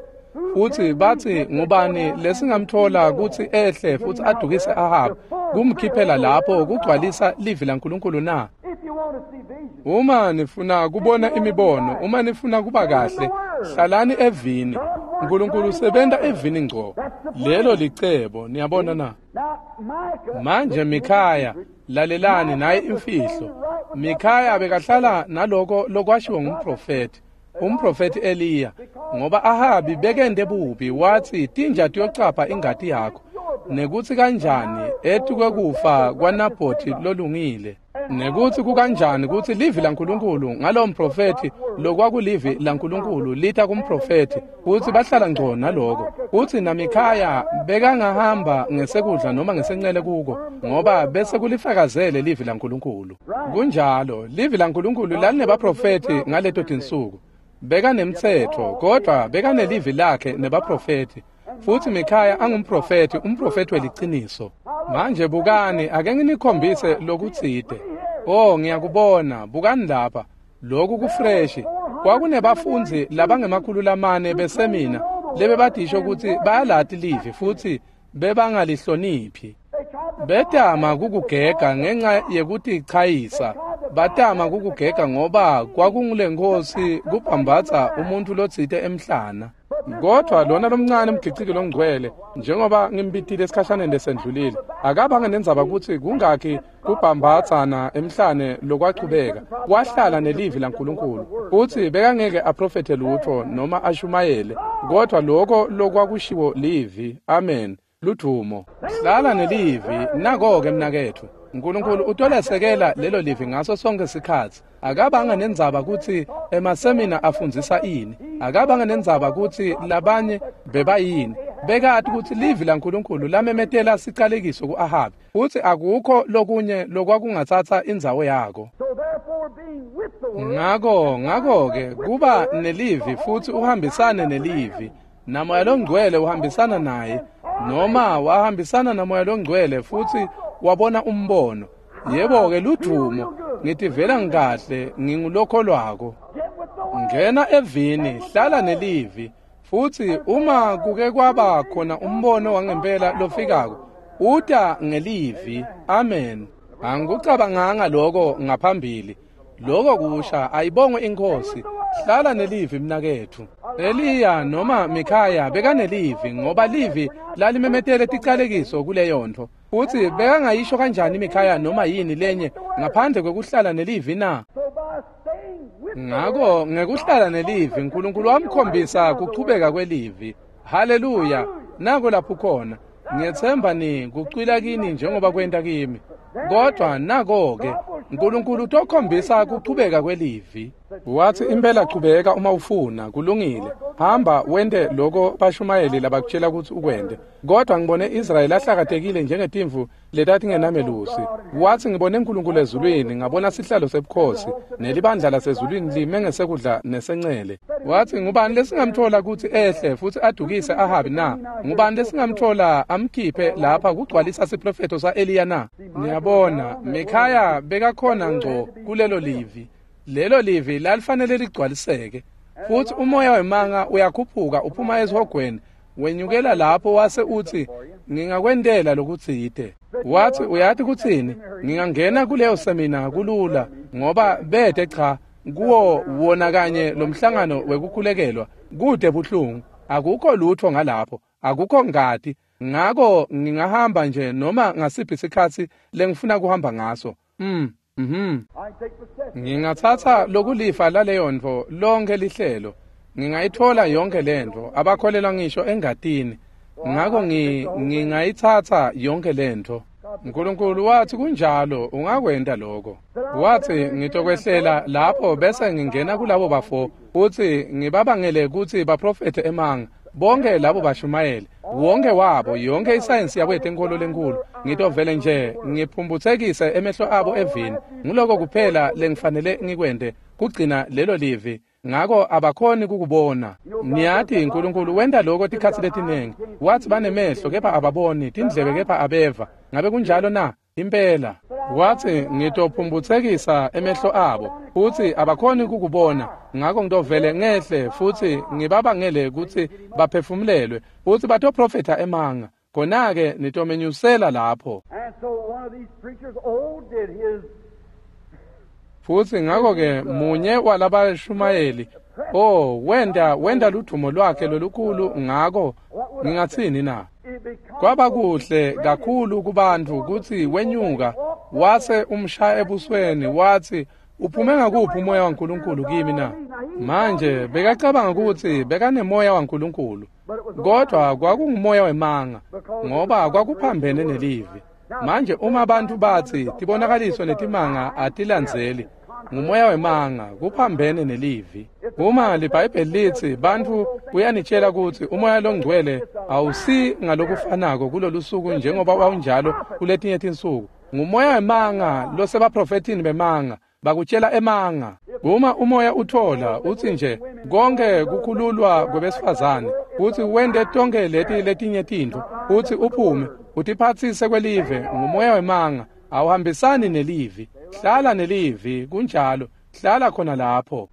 Futsi batsi ngubani lesingamthola kutsi ehle futsi adukise Ahab kumkhiphela lapho kugcwalisa livi laNkulunkulu na? Uma nifuna kubona imibono, uma nifuna kuba kahle, hlalani evini. uNkulunkulu usebenta evini ngco. Lelo licebo, niyabona na? Manje Mikhaya, lalelani naye imfihlo. Mikhaya bekahlala naloko lokwashiwo ngumprofethi. Umprofethi Eliya, ngoba Ahabi bekende bubi, watsi tinja tiyocapha ingati yakho, nekutsi kanjani etukwe kufa kwaNabhothi lolungile, nekutsi kukanjani kutsi livi laNkulunkulu ngalowo mprofethi lokwakulivi laNkulunkulu lita kumprofethi, futsi bahlala ngco naloko. Futsi naMikhaya bekangahamba ngesekudla noma ngesencele kuko, ngoba bese kulifakazele livi laNkulunkulu. Kunjalo, livi laNkulunkulu lalinebaprofethi ngaleto tinsuku. Bekanemtsetfo, kodwa bekanelivi lakhe nebaprofethi. Futsi Mikhaya angumprofethi, umprofethi weliciniso. Manje bukani, ake nginikhombise lokutsite. Oh, ngiyakubona, bukani lapha. Lokhu kufreshi. Kwakunebafundzi labangema-400 besemina lebebadisho kutsi bayalati livi futsi bebangalihloniphi. Betama kukugega ngenxa yekutichayisa. Batama kukugega ngoba kwakungulenkhosi kubhambatsa umuntfu lotsite emhlana. Kodwa lona lomncane umgiciki longcwele, njengoba ngimbitile esikhashaneni lesendlulile, akabange nendzaba kutsi kungakhi kubhambatsana emhlane lokwachubeka. Wahlala nelivi laNkulunkulu. Futsi bekangeke aprofethe lutfo noma ashumayele, kodwa lokho lokwakushiwo livi. Amen. Ludvumo. Hlala nelivi, nako-ke mnaketfu. Nkulunkulu utolesekela lelo livi ngaso sonke sikhatsi. Akabanga nendzaba kutsi emasemina afundzisa ini. Akabanga nendzaba kutsi labanye bebayini. Bekati kutsi livi laNkulunkulu lamemetela sicalekiso ku-Ahabi, futsi akukho lokunye lokwakungatsatsa indzawo yako. Ngako-ke kuba nelivi futsi uhambisane nelivi. Namoya longcwele uhambisana naye, noma wahambisana namoya longcwele futsi wabona umbono. Yebo-ke ludvumo, ngitivela ngikahle, ngingulokholwako. Ngena evini, hlala nelivi, futsi uma kuke kwaba khona umbono wangempela lofikako, uta ngelivi. Amen. Angikucabanganga lokho ngaphambili. Lokho kusha, ayibongwe iNkhosi. Hlala nelivi mnaketfu. Eliya noma Mikhaya bekanelivi ngoba livi lalimemetele ticalekiso kuleyontfo. Futsi bekangayisho kanjani Mikhaya noma yini lenye ngaphandle kwekuhlala nelivi na? Ngako ngekuhlala nelivi Nkulunkulu wamkhombisa kuchubeka kwelivi. Haleluya! Nako lapho khona. Ngiyetsemba ni kucwila kini njengoba kwenta kimi. Kodwa nako-ke Nkulunkulu utokhombisa kuchubeka kwelivi. Wathi impela chubeka uma ufuna, kulungile. Hamba wente loko bashumayeli labakutshela ukuthi ukwente. Kodwa ngibone Israyeli ahlakatekile njengetimvu letatingenamelusi. Wathi ngibone Nkulunkulu ezulwini, ngabona sihlalo sebukhosi, nelibandla lasezulwini lime ngesekudla nesencele. Wathi ngubani lesingamthola ukuthi ehle futhi adukise Ahabi na? Ngubani lesingamthola amkhiphe lapha kugcwalisa siprofetho sa-Eliya na? Niyabona, Mikhaya bekakhona ngco kulelo livi. Lelo livi lalifanele ligcwaliseke. Futhi umoya wemanga uyakhuphuka uphuma esihogweni, wenyukela lapho wase uthi ngingakwentela lokutsite. Wathi uyati kutsini? Ngingangena kuleyo semina kulula ngoba bete cha kuwo wona kanye lo mhlangano wekukhulekelwa kude buhlungu, akukho lutho ngalapho, akukho ngati. Ngako ngingahamba nje noma ngasiphi isikhatsi lengifuna kuhamba ngaso. Ngingatsatsa lokulifa laleyontfo lonke lihlelo. Ngingayithola yonke lentfo, abakholelwa ngisho engatini. Ngako ngingayitsatsa yonke lentfo. Nkulunkulu wathi kunjalo, ungakwenta lokho. Wathi ngitokwehlela lapho bese ngingena kulabo bafo futhi ngibabangele kutsi baprofethe emanga. Bonke labo bashumayeli, wonke wabo, yonke isayensi yabo yetenkolo lenkulu, ngitovele nje ngiphumbuthekise emehlo abo evini. Nguloko kuphela lengifanele ngikwente, kugcina lelo livi. Ngako abakhoni kukubona. Niyati Nkulunkulu wenta lokho tikhatsi letiningi. Wathi banemehlo kepha ababoni, tindlebe kepha abeva. Ngabe kunjalo na? Impela. Wathi ngitophumbuthekisa emehlo abo futsi abakhoni kukubona. Ngako ngitovele ngehle futsi ngibabangele kutsi baphefumulelwe futsi batoprofetha emanga. Khona-ke nitomenyusela lapho. Futsi ngako-ke munye walabashumayeli, wenta ludvumo lwakhe lolukhulu ngako ngingatsini na? Kwaba kuhle kakhulu kubantfu kutsi wenyuka wase umshaya ebusweni wathi uphume ngakuphi umoya waNkulunkulu kimi na? Manje bekacabanga kutsi bekanemoya waNkulunkulu, kodwa kwakungumoya wemanga ngoba kwakuphambene nelivi. Manje uma abantu bathi tibonakaliso netimanga atilandzeli, ngumoya wemanga, kuphambene nelivi. Uma liBhayibheli lithi bantfu uyanitshela kutsi umoya longcwele awusi ngalokufanako kulolu suku njengoba wawunjalo kuletinye tinsuku, ngumoya wemanga losebaprofethini bemanga, bakutshela emanga. Uma umoya uthola utsi nje konke kukhululwa kwebesifazane, utsi wente tonke leti letinye tintfo, utsi uphume utiphatsise kwelive, ngumoya wemanga, awuhambisani nelivi. Hlala nelivi, kunjalo, hlala khona lapho.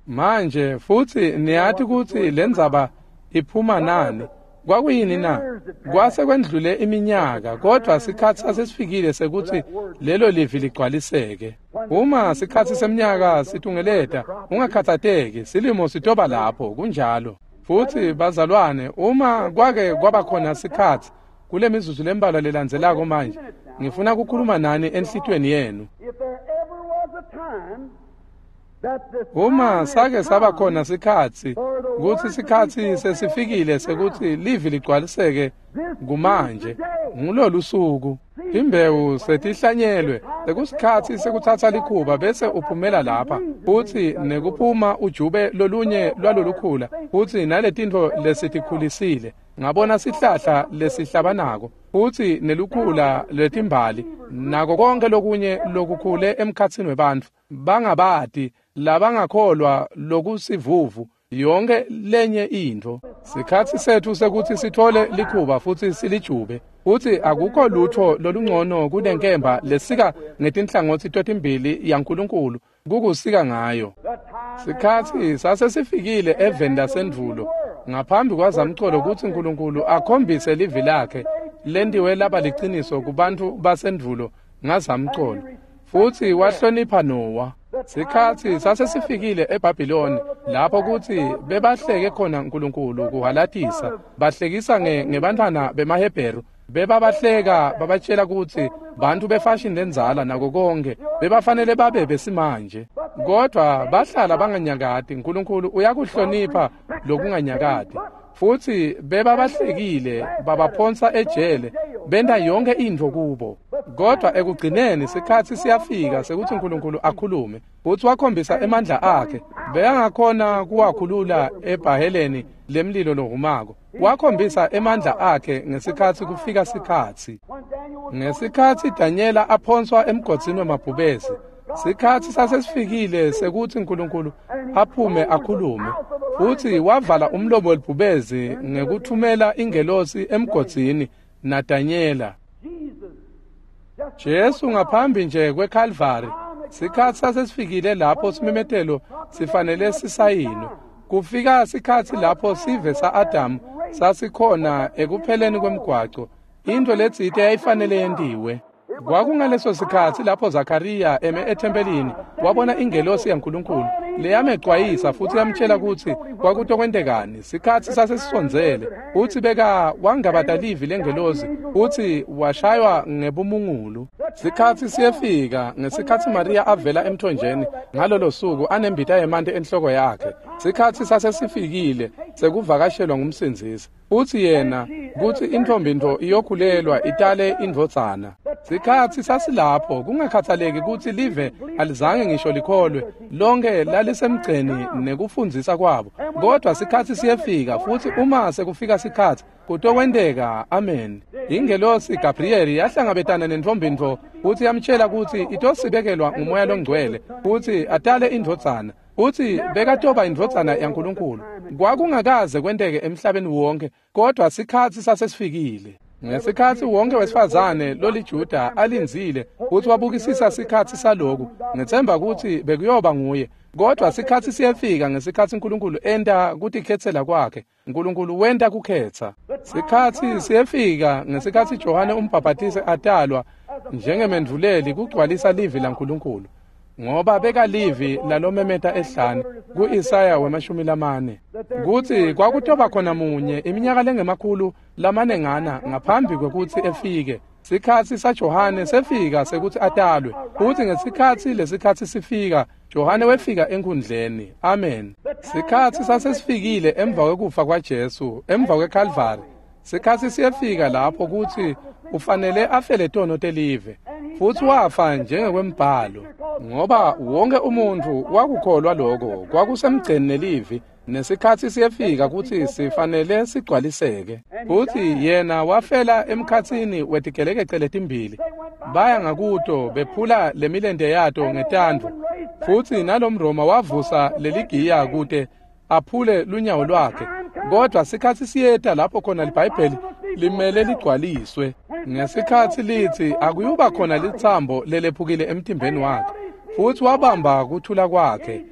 Manje futsi niyati kutsi lendzaba iphuma nani. Kwakuyini na? Kwase kwendlule iminyaka, kodwa sikhatsi sasesifikile sekuthi lelo livi ligcwaliseke. Uma sikhatsi seminyaka situngeleta, ungakhathateki, silimo sitoba lapho, kunjalo. Futhi bazalwane, uma kwake kwaba khona sikhatsi kule mizuzu lembalwa lelandzelako manje, ngifuna kukhuluma nani enhlitiyweni yenu. Uma sake saba khona sikhatsi kutsi sikhatsi sesifikile sekuthi livi ligcwaliseke kumanje, ngulolu suku. Imbewu setihlanyelwe, sekusikhatsi sekutsatsa likhuba bese uphumela lapha, futsi nekuphuma ujube lolunye lwalolukhula, futsi naletintfo lesitikhulisile. Ngabona sihlahla lesihlabanako, futsi nelukhula lwetimbali, nako konke lokunye lokukhule emkhatsini webantfu, bangabati, labangakholwa lokusivuvu, yonke lenye intfo. Sikhatsi setfu sekuthi sithole likhuba futsi silijube, futsi akukho lutho lolungcono kunenkemba lesika ngetinhlangotsi totimbili yaNkulunkulu kukusika ngayo. Sikhatsi sasesifikile eveni lasendvulo ngaphambi kwazamcolo kutsi Nkulunkulu akhombise livi lakhe lentiwe laba liciniso kubantfu basendvulo ngazamcolo, futsi wahlonipha Nowa. Sikhatsi sasesifikile eBhabhiloni lapho kutsi bebahleke khona Nkulunkulu kuhalatisa, bahlekisa ngebantfwana bemaHebheru, bebabahleka babatshela kutsi bantfu befashini lendzala nako konke bebafanele babe besimanje, kodwa bahlala banganyakati. Nkulunkulu uyakuhlonipha lokunganyakati, futsi bebabahlekile babaphonsa ejele, benta yonke intfo kubo. Kodwa ekugcineni sikhatsi siyafika sekuthi Nkulunkulu akhulume, futsi wakhombisa emandla akhe. Bekangakhona kuwakhulula ebhaheleni lemlilo lohumako. Wakhombisa emandla akhe ngesikhatsi kufika sikhatsi. Ngesikhatsi Danyela aphonswa emgodzini wemabhubesi, sikhatsi sasesifikile sekuthi Nkulunkulu aphume akhulume, futsi wavala umlomo welibhubesi ngekuthumela ingelosi emgodzini naDanyela. Jesu ngaphambi nje kweKalvari, sikhatsi sasesifikile lapho simemetelo sifanele sisayinwe. Kufika sikhatsi lapho sive sa-Adamu sasikhona ekupheleni kwemgwaco, intfo letsite yayifanele yentiwe. Kwakungaleso sikhatsi lapho Zakariya eme ethempelini wabona ingelosi yaNkulunkulu leyamecwayisa futsi yamtshela kutsi kwakutokwentekani. Sikhatsi sasesisondzele, futsi beka wangabata livi lengelosi futsi washaywa ngebumungulu. Sikhatsi siyefika ngesikhatsi Mariya avela emthonjeni ngalolo suku anembita yemanti enhloko yakhe. Sikhatsi sasesifikile sekuvakashelwa ngumsindzisi, futsi yena kutsi intfombi-ntfo iyokhulelwa itale indvodzana. Sikhatsi sasilapho kungakhathaleki kutsi live alizange ngisho likholwe, lonke lalisemgceni nekufundzisa kwabo. Kodwa sikhatsi siyefika, futsi uma sekufika sikhatsi kutokwenteka. Amen. Ingelosi Gabriyeli yahlangabetana nentfombi-ntfo futsi yamtshela kutsi itosibekelwa ngumoya longcwele futsi atale indvodzana, futsi bekatoba indvodzana yaNkulunkulu. Kwakungakaze kwenteke emhlabeni wonke, kodwa sikhatsi sasesifikile. Ngesikhatsi wonke wesifazane loliJuda alindzile futsi wabukisisa sikhatsi saloku, ngetsemba kutsi bekuyoba nguye. Kodwa sikhatsi siyefika ngesikhatsi Nkulunkulu enta kutikhetsela kwakhe. Nkulunkulu wenta kukhetsa. Sikhatsi siyefika ngesikhatsi Johane umbhabhatisi atalwa njengemendvuleli kugcwalisa livi laNkulunkulu, ngoba bekalivi lalomemeta ehlane ku-Isaya 40 kutsi kwakutoba khona munye iminyaka lengemakhulu lamanengana ngaphambi kwekutsi efike. Sikhatsi saJohane sefika sekuthi atalwe, futsi ngesikhatsi lesikhatsi sifika, Johane wefika enkhundleni. Amen. Sikhatsi sasesifikile emva kwekufa kwaJesu, emva kweKalvari. Sikhatsi siyefika lapho kutsi ufanele afele tono telive, futsi wafa njengekwembhalo, ngoba wonke umuntfu wakukholwa loko kwakusemgceni nelivi. Nesikhatsi siyefika kutsi sifanele sigcwaliseke, futsi yena wafela emkhatsini wetigelekece letimbili. Baya ngakuto bephula lemilente yato ngetandvo, futsi nalomRoma wavusa leligiya kute aphule lunyawo lwakhe. Kodwa sikhatsi siyeta lapho khona liBhayibheli limele ligcwaliswe, ngesikhatsi litsi akuyuba khona litsambo lelephukile emtimbeni wakhe, futsi wabamba kuthula kwakhe.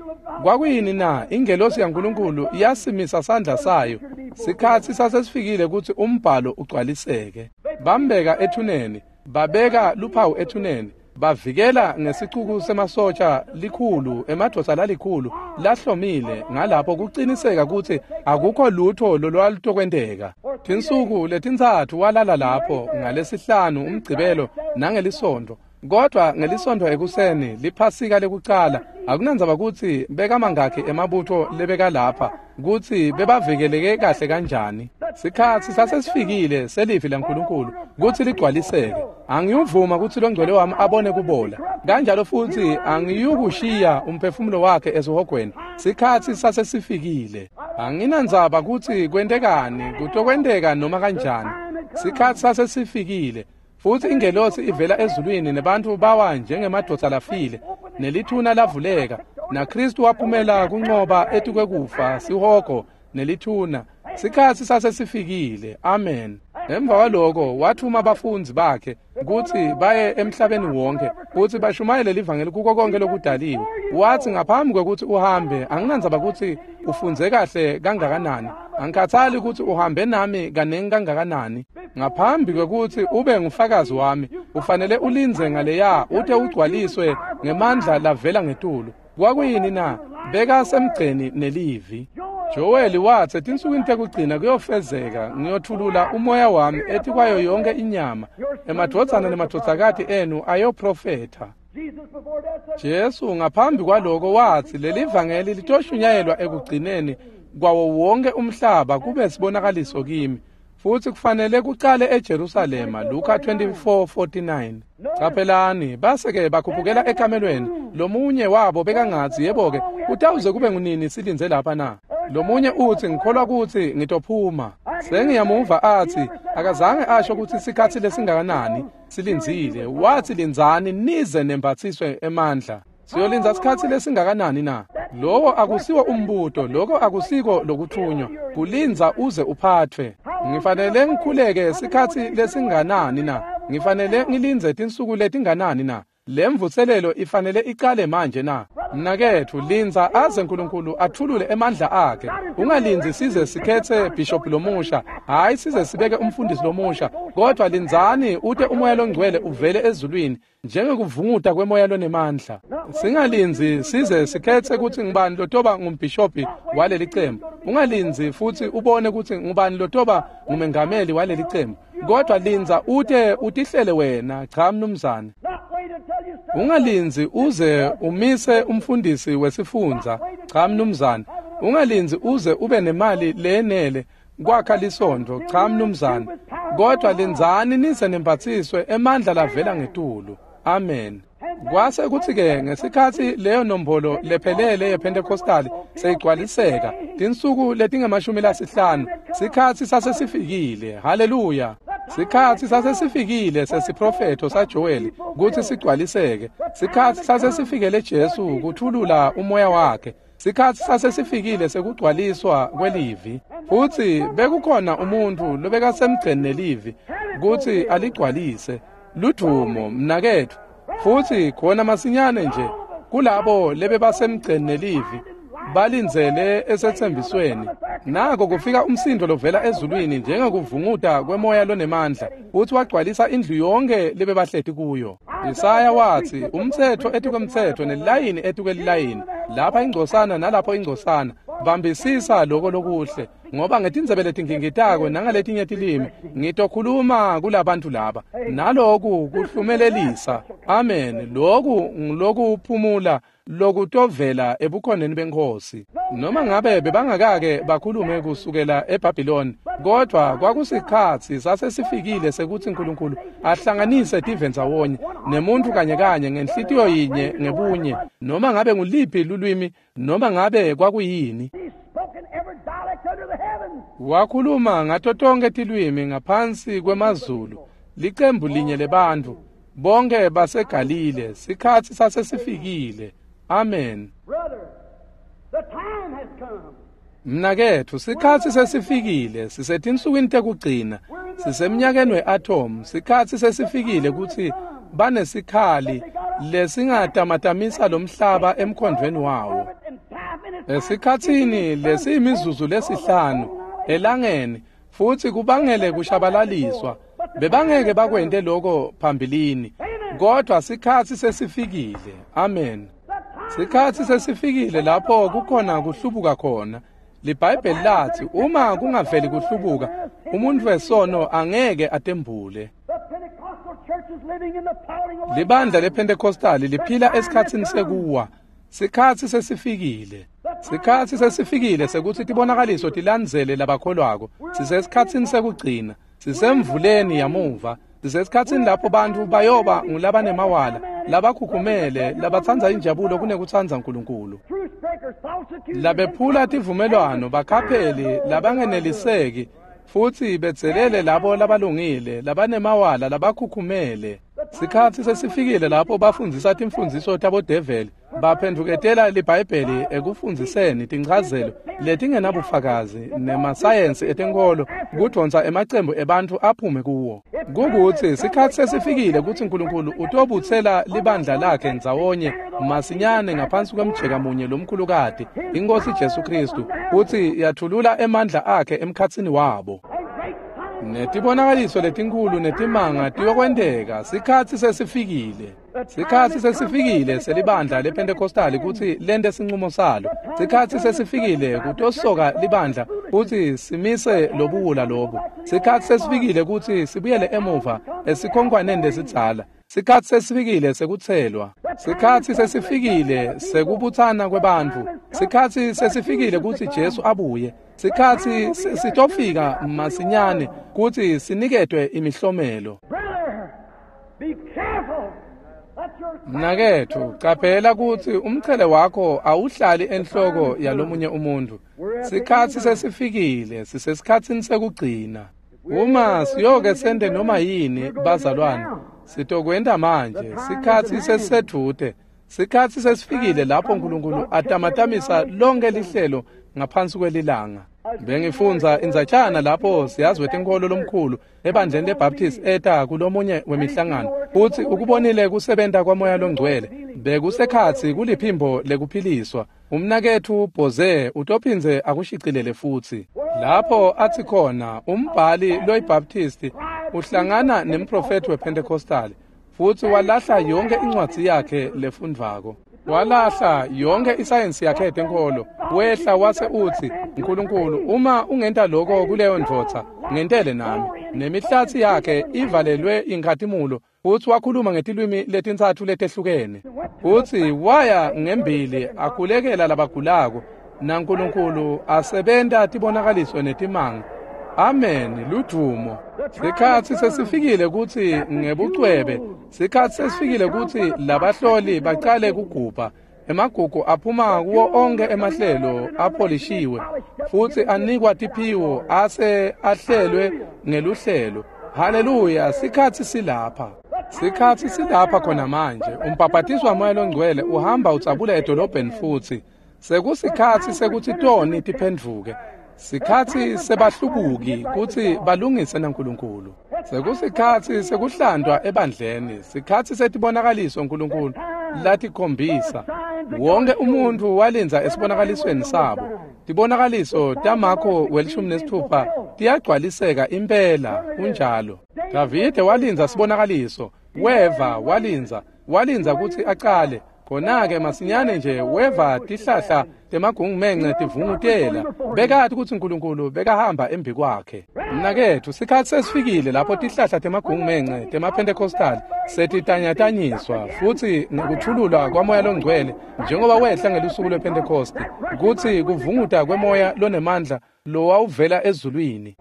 Kwakuyini na? Ingelosi yaNkulunkulu yasimisa sandla sayo. Sikhatsi sasesifikile kutsi umbhalo ugcwaliseke. Bambeka ethuneni, babeka luphawu ethuneni, bavikela ngesicuku semasotja likhulu, emadvodza lalikhulu lahlomile ngalapho kuciniseka kutsi akukho lutho lolwalutokwenteka. Tinsuku letintsatfu walala lapho, ngalesihlanu, umgcibelo nangelisontfo. Kodwa ngelisontfo ekuseni liphasika lekucala, akunandzaba kutsi bekamangakhi emabutfo lebekalapha, kutsi bebavikeleke kahle kanjani. Sikhatsi sasesifikile selivi laNkulunkulu kutsi ligcwaliseke. Angiyuvuma kutsi longcwele wami abone kubola, kanjalo futsi angiyukushiya umphefumulo wakhe esihogweni. Sikhatsi sasesifikile. Anginandzaba kutsi kwentekani, kutokwenteka noma kanjani. Sikhatsi sasesifikile. Futsi ingelosi ivela ezulwini nebantfu bawa njengemadvodza lafile, nelithuna lavuleka, naKristu waphumela kuncoba etikwekufa, sihogo nelithuna. Sikhatsi sasesifikile. Amen. Emva kwaloko wathuma bafundzi bakhe kutsi baye emhlabeni wonke kutsi bashumayele livangeli kuko konke lokudaliwe. Watsi ngaphambi kwekutsi uhambe, anginandzaba kutsi ufundze kahle kangakanani, angikhathali kutsi uhambe nami kanengi kangakanani, ngaphambi kwekutsi ube ngufakazi wami ufanele ulindze ngaleya ute ugcwaliswe ngemandla lavela ngetulu. Kwakuyini na? Bekasemgceni nelivi. Joeli watsi etinsukwini tekugcina kuyofezeka, ngiyothulula umoya wami etikwayo yonke inyama, emadvodzana nemadvodzakati enu ayoprofetha. Jesu ngaphambi kwaloko watsi leli vangeli litoshunyayelwa ekugcineni kwawo wonke umhlaba kube sibonakaliso kimi, futsi kufanele kucale eJerusalema. Luka 24:49. Caphelani, base-ke bakhuphukela ekamelweni. Lomunye wabo bekangatsi, yebo-ke, kutawuze kube ngunini silindze lapha na? Lomunye utsi, ngikholwa kutsi ngitophuma. Sengiyamuva atsi, akazange asho kutsi sikhatsi lesingakanani silindzile. Watsi lindzani nize nembatsiswe emandla. Siyolindza sikhatsi lesingakanani na? Lowo akusiwo umbuto, loko akusiko lokuthunywa. Kulindza uze uphathwe. Ngifanele ngikhuleke sikhatsi lesinganani na? Ngifanele ngilindze tinsuku letinganani na? Lemvuselelo ifanele icale manje na? Mnaketfu, lindza aze Nkulunkulu athulule emandla akhe. Ungalindzi size sikhetse bishop lomusha, hayi size sibeke umfundisi lomusha, kodwa lindzani ute umoya longcwele uvele ezulwini njengekuvunguta kwemoya lonemandla. Singalindzi size sikhetse kutsi ngubani lotoba ngumbhishobhi waleli cembu. Ungalindzi futsi ubone kutsi ngubani lotoba ngumengameli waleli cembu, kodwa lindza ute utihlele wena. Cha mnumzane. Ungalindzi uze umise umfundisi wesifundza. Cha mnumzane. Ungalindzi uze ube nemali leyenele kwakha lisontfo. Cha mnumzane. Kodwa lindzani nize nembatsiswe emandla lavela ngetulu. Amen. Kwase kutsi-ke ngesikhatsi leyo nombolo lephelele yePentecostal seyigcwaliseka, tinsuku letingama-50, sikhatsi sasesifikile. Haleluya! Sikhatsi sasesifikile sesiprofetho saJoeli kutsi sigcwaliseke. Sikhatsi sasesifikele Jesu kuthulula umoya wakhe. Sikhatsi sasesifikile sekugcwaliswa kwelivi. Futsi bekukhona umuntfu lobekasemgceni nelivi kutsi aligcwalise. Ludvumo, mnaketfu. Futsi khona masinyane nje kulabo lebebasemgceni nelivi balindzele esetsembisweni, nako kufika umsindo lovela ezulwini njengekuvunguta kwemoya lonemandla, futsi wagcwalisa indlu yonke lebebahleti kuyo. Isaya watsi umtsetfo etikwemtsetfo nelilayini etikwelilayini, lapha ingcosana nalapho ingcosana, bambisisa loko lokuhle, ngoba ngetindzebe letingingitako nangaletinye tilimi ngitokhuluma kulabantu laba. Naloku kuhlumelelisa. Amen. Loku ngilokuphumula lokutovela ebukhoneni beNkhosi. Noma ngabe bebangakake bakhulume kusukela eBhabhiloni, kodwa kwakusikhatsi sasesifikile sekutsi Nkulunkulu ahlanganise tive ndzawonye nemuntfu kanye kanye ngenhlitiyo yinye ngebunye, noma ngabe nguliphi lulwimi, noma ngabe kwakuyini. Wakhuluma ngato tonkhe tilwimi ngaphansi kwemazulu, licembu linye lebantfu, bonke baseGalile. Sikhatsi sasesifikile. Amen. Mnaketfu, sikhatsi sesifikile. Sisetinsukwini tekugcina, sisemnyakeni we-atom. Sikhatsi sesifikile kutsi banesikhali lesingatamatamisa lomhlaba emkhondvweni wawo. Esikhatsini lesiyimizuzu lesihlanu, elangeni futsi kubangele kushabalaliswa. Bebangeke bakwente lokho phambilini, kodwa sikhatsi sesifikile. Amen. Sikhatsi sesifikile lapho kukhona kuhlubuka khona. LiBhayibheli lathi uma kungaveli kuhlubuka, umuntu wesono angeke atembule. Libandla lePentecostali liphila esikhatsini sekuwa. Sikhatsi sesifikile. Sikhatsi sesifikile sekuthi tibonakaliso tilandzele labakholwako. Sisesikhatsini sekugcina. Sisemvuleni yamuva. Sisesikhatsini lapho bantfu bayoba ngulabanemawala, labakhukhumele, labatsandza injabulo kunekutsandza Nkulunkulu. Labephula tivumelwano, bakhapheli, labangeneliseki, futsi bedzelele labo labalungile, labanemawala, labakhukhumele. Sikhatsi sesifikile lapho bafundzisa timfundziso tabodeveli, baphendvuketela liBhayibheli ekufundziseni tinchazelo letingenabufakazi nemasayensi etenkholo kudvonsa emacembu ebantfu aphume kuwo. Kukutsi sikhatsi sesifikile kutsi Nkulunkulu utobutsela libandla lakhe ndzawonye masinyane ngaphansi kwemjeka munye lomkhulukati, iNkhosi Jesu Khristu, futsi yathulula emandla akhe emkhatsini wabo. Netibonakaliso letinkhulu netimanga tiyokwenteka. Sikhatsi sesifikile. Sikhatsi sesifikile selibandla lePentecostali kutsi lente sincumo salo. Sikhatsi sesifikile kutosoka libandla kutsi simise lobuwula lobu. Sikhatsi sesifikile kutsi sibuyele emuva esikhonkwaneni lesidzala. Sikhatsi sesifikile sekutselwa. Sikhatsi sesifikile sekubutsana kwebantfu. Sikhatsi sesifikile kutsi Jesu abuye. Sikhatsi sitofika masinyane kutsi siniketwe imihlomelo. Mnaketfu, caphela kutsi umchele wakho awuhlali enhloko yalomunye umuntu. Sikhatsi sesifikile, sisesikhatsini sekugcina. Uma siyoke sente noma yini, bazalwane, sitokwenta manje. Sikhatsi sesisedvute. Sikhatsi sesifikile lapho Nkulunkulu atamatamisa lonke lihlelo ngaphansi kwelilanga. Bengifundza indzatshana lapho siyazi wetenkholo lomkhulu ebandleni leBaptist eta kulomunye wemihlangano futsi ukubonile kusebenta kwaMoya loNgcwele. Bekusekhatsi kuliphimbo lekuphiliswa. Umnaketfu Boze utophindze akushicilele futsi. Lapho athi khona umbhali loyiBaptist uhlangana nemprofethi wePentecostal futsi walahla yonke incwadzi yakhe lefundvako. Walahla yonke isayensi yakhe yetenkholo. Wehla wase utsi, Nkulunkulu, uma ungenta lokho kuleyo ndvodza, ngentele nami. Nemihlatsi yakhe ivalelwe inkhatimulo, futsi wakhuluma ngetilwimi letintsatfu letehlukene. Futsi waya ngembili akhulekela labagulako, naNkulunkulu asebenta tibonakaliso netimanga. Amen, ludvumo. Sikhatsi sesifikile kutsi ngebucwebe, sikhatsi sesifikile kutsi labahloli bacale kugubha. Emagugu aphuma kuwo onke emahlelo apholishiwe futsi anikwa tiphiwo ase ahlelwe ngeluhlelo. Haleluya, sikhatsi silapha. Sikhatsi silapha khona manje. Umbhabhatiso waMoya loNgcwele uhamba utsabula edolobheni futsi. Sekusikhatsi sekutsi toni tiphendvuke. Sikhatsi sebahlubuki kutsi balungise naNkulunkulu. Sekusikhatsi sekuhlantwa ebandleni. Sikhatsi setibonakaliso Nkulunkulu latikhombisa. Wonke umuntfu walindza esibonakalisweni sabo. Tibonakaliso taMakho 16 tiyagcwaliseka impela, kunjalo. Davide walindza sibonakaliso. Weva walindza kutsi acale. Khona-ke masinyane nje weva tihlahla temagungumence tivungutela. Bekati kutsi Nkulunkulu bekahamba embi kwakhe. Mnaketfu, sikhatsi sesifikile lapho tihlahla temagungumence temaPentecostal setitanyatanyiswa futsi ngekuthululwa kwaMoya loNgcwele njengoba wehla ngelusuku lwePentecosti, kutsi kuvunguta kwemoya lonemandla lowawuvela ezulwini.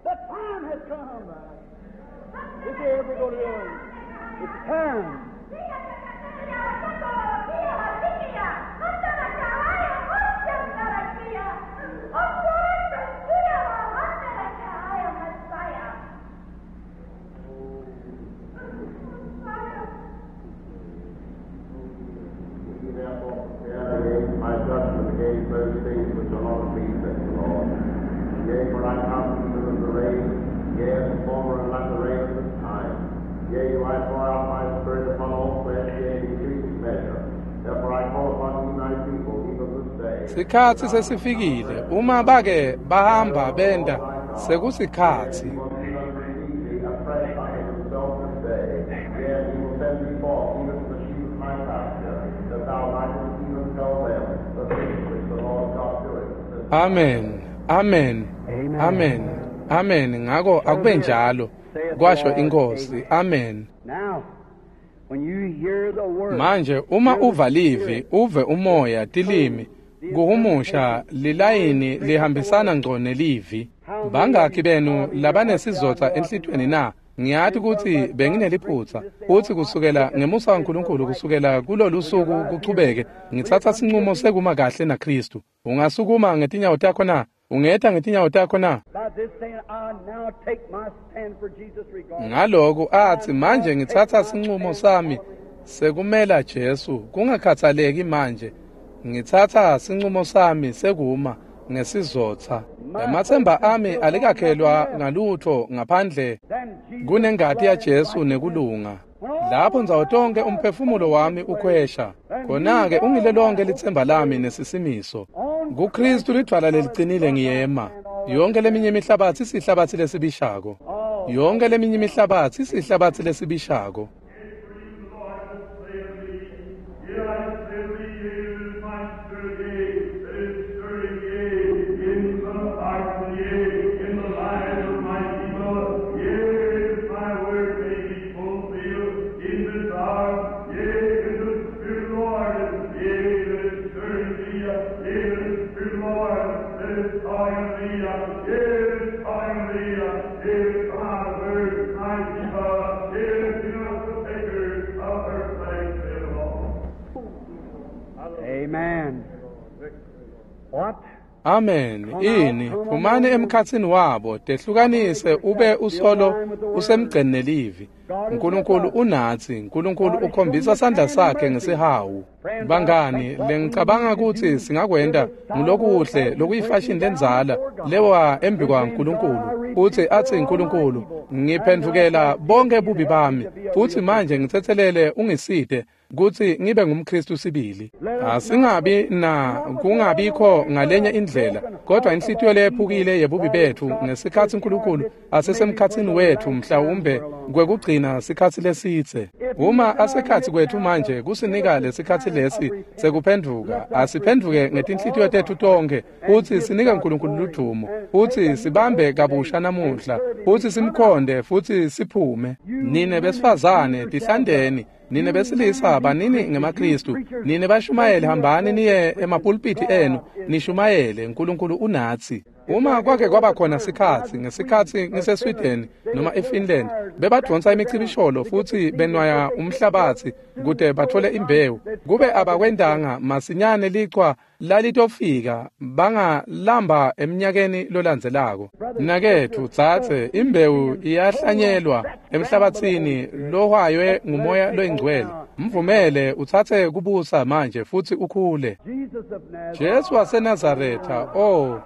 Sikhatsi sesifikile uma bake bahamba benta. Sekusikhatsi. Amen. Amen. Amen. Amen. Ngako akube njalo, kwasho iNkosi. Amen. Manje uma uva livi, uve umoya, tilimi, kuhumusha lilayini lihambisana ngco nelivi. Bangakhi benu labanesizotha enhlitiyweni na? Ngiyati kutsi bengineliphutsa, futsi kusukela ngemusa waNkulunkulu kusukela kulolu suku kuchubeke, ngitsatsa sincumo sekuma kahle naKhristu. Ungasukuma ngetinyawo takho na? Ungeta ngetinyawo takho na? Ngaloku atsi manje ngitsatsa sincumo sami sekumela Jesu, kungakhathaleki manje. Ngitsatsa sincumo sami sekuma ngesizotha. Ematsemba ami alikakhelwa ngalutho ngaphandle kunengati yaJesu nekulunga. Lapho ndzawo tonke umphefumulo wami ukhwesha, khona-ke ungile lonke litsemba lami nesisimiso. KuKhristu lidvwala lelicinile ngiyema. Yonke leminye imihlabatsi isihlabatsi lesibishako. Yonke leminye imihlabatsi isihlabatsi lesibishako. Amen. What? Amen. Ini phumani emkhatsini wabo, tehlukanise ube usolo usemgceni nelivi. Nkulunkulu unatsi, Nkulunkulu ukhombisa sandla sakhe ngesihawu. Bangani, lengicabanga kutsi singakwenta ngulokuhle lokuyifashini lendzala lewa embi kwaNkulunkulu. Utsi atsi Nkulunkulu, ngiphendvukela bonke bubi bami, futsi manje ngitsetselele ungisite kutsi ngibe ngumKhristu sibili. Asingabi na kungabikho ngalenye indlela, kodwa inhlitiyo leyephukile yebubi betfu ngesikhatsi Nkulunkulu asesemkhatsini wetfu, mhlawumbe kwekugcina sikhatsi lesidze. Uma asekhatsi kwetfu manje kusinika lesikhatsi lesi sekuphendvuka, asiphendvuke ngetinhlitiyo tetfu tonkhe, futsi sinike Nkulunkulu ludumo, futsi sibambe kabusha namuhla, futsi simkhonde, futsi siphume. Nine besifazane tihlandeni, nine besilisa banini ngemaKhristu, nine bashumayeli hambani niye emapulpiti enu nishumayele, Nkulunkulu unatsi. Uma kwake kwaba khona sikhatsi, ngesikhatsi ngiseSweden noma eFinland, bebadvonsa imicibisholo futsi benwaya umhlabatsi kute batfole imbewu. Kube abakwentanga masinyane lichwa lalitofika bangalamba eminyakeni lolandzelako. Mnaketfu dzadze, imbewu iyahlanyelwa emhlabatsini lohwaywe ngumoya loyingcwele. Mvumele utsatse kubusa manje futsi ukhule. Jesu waseNazaretha, oh.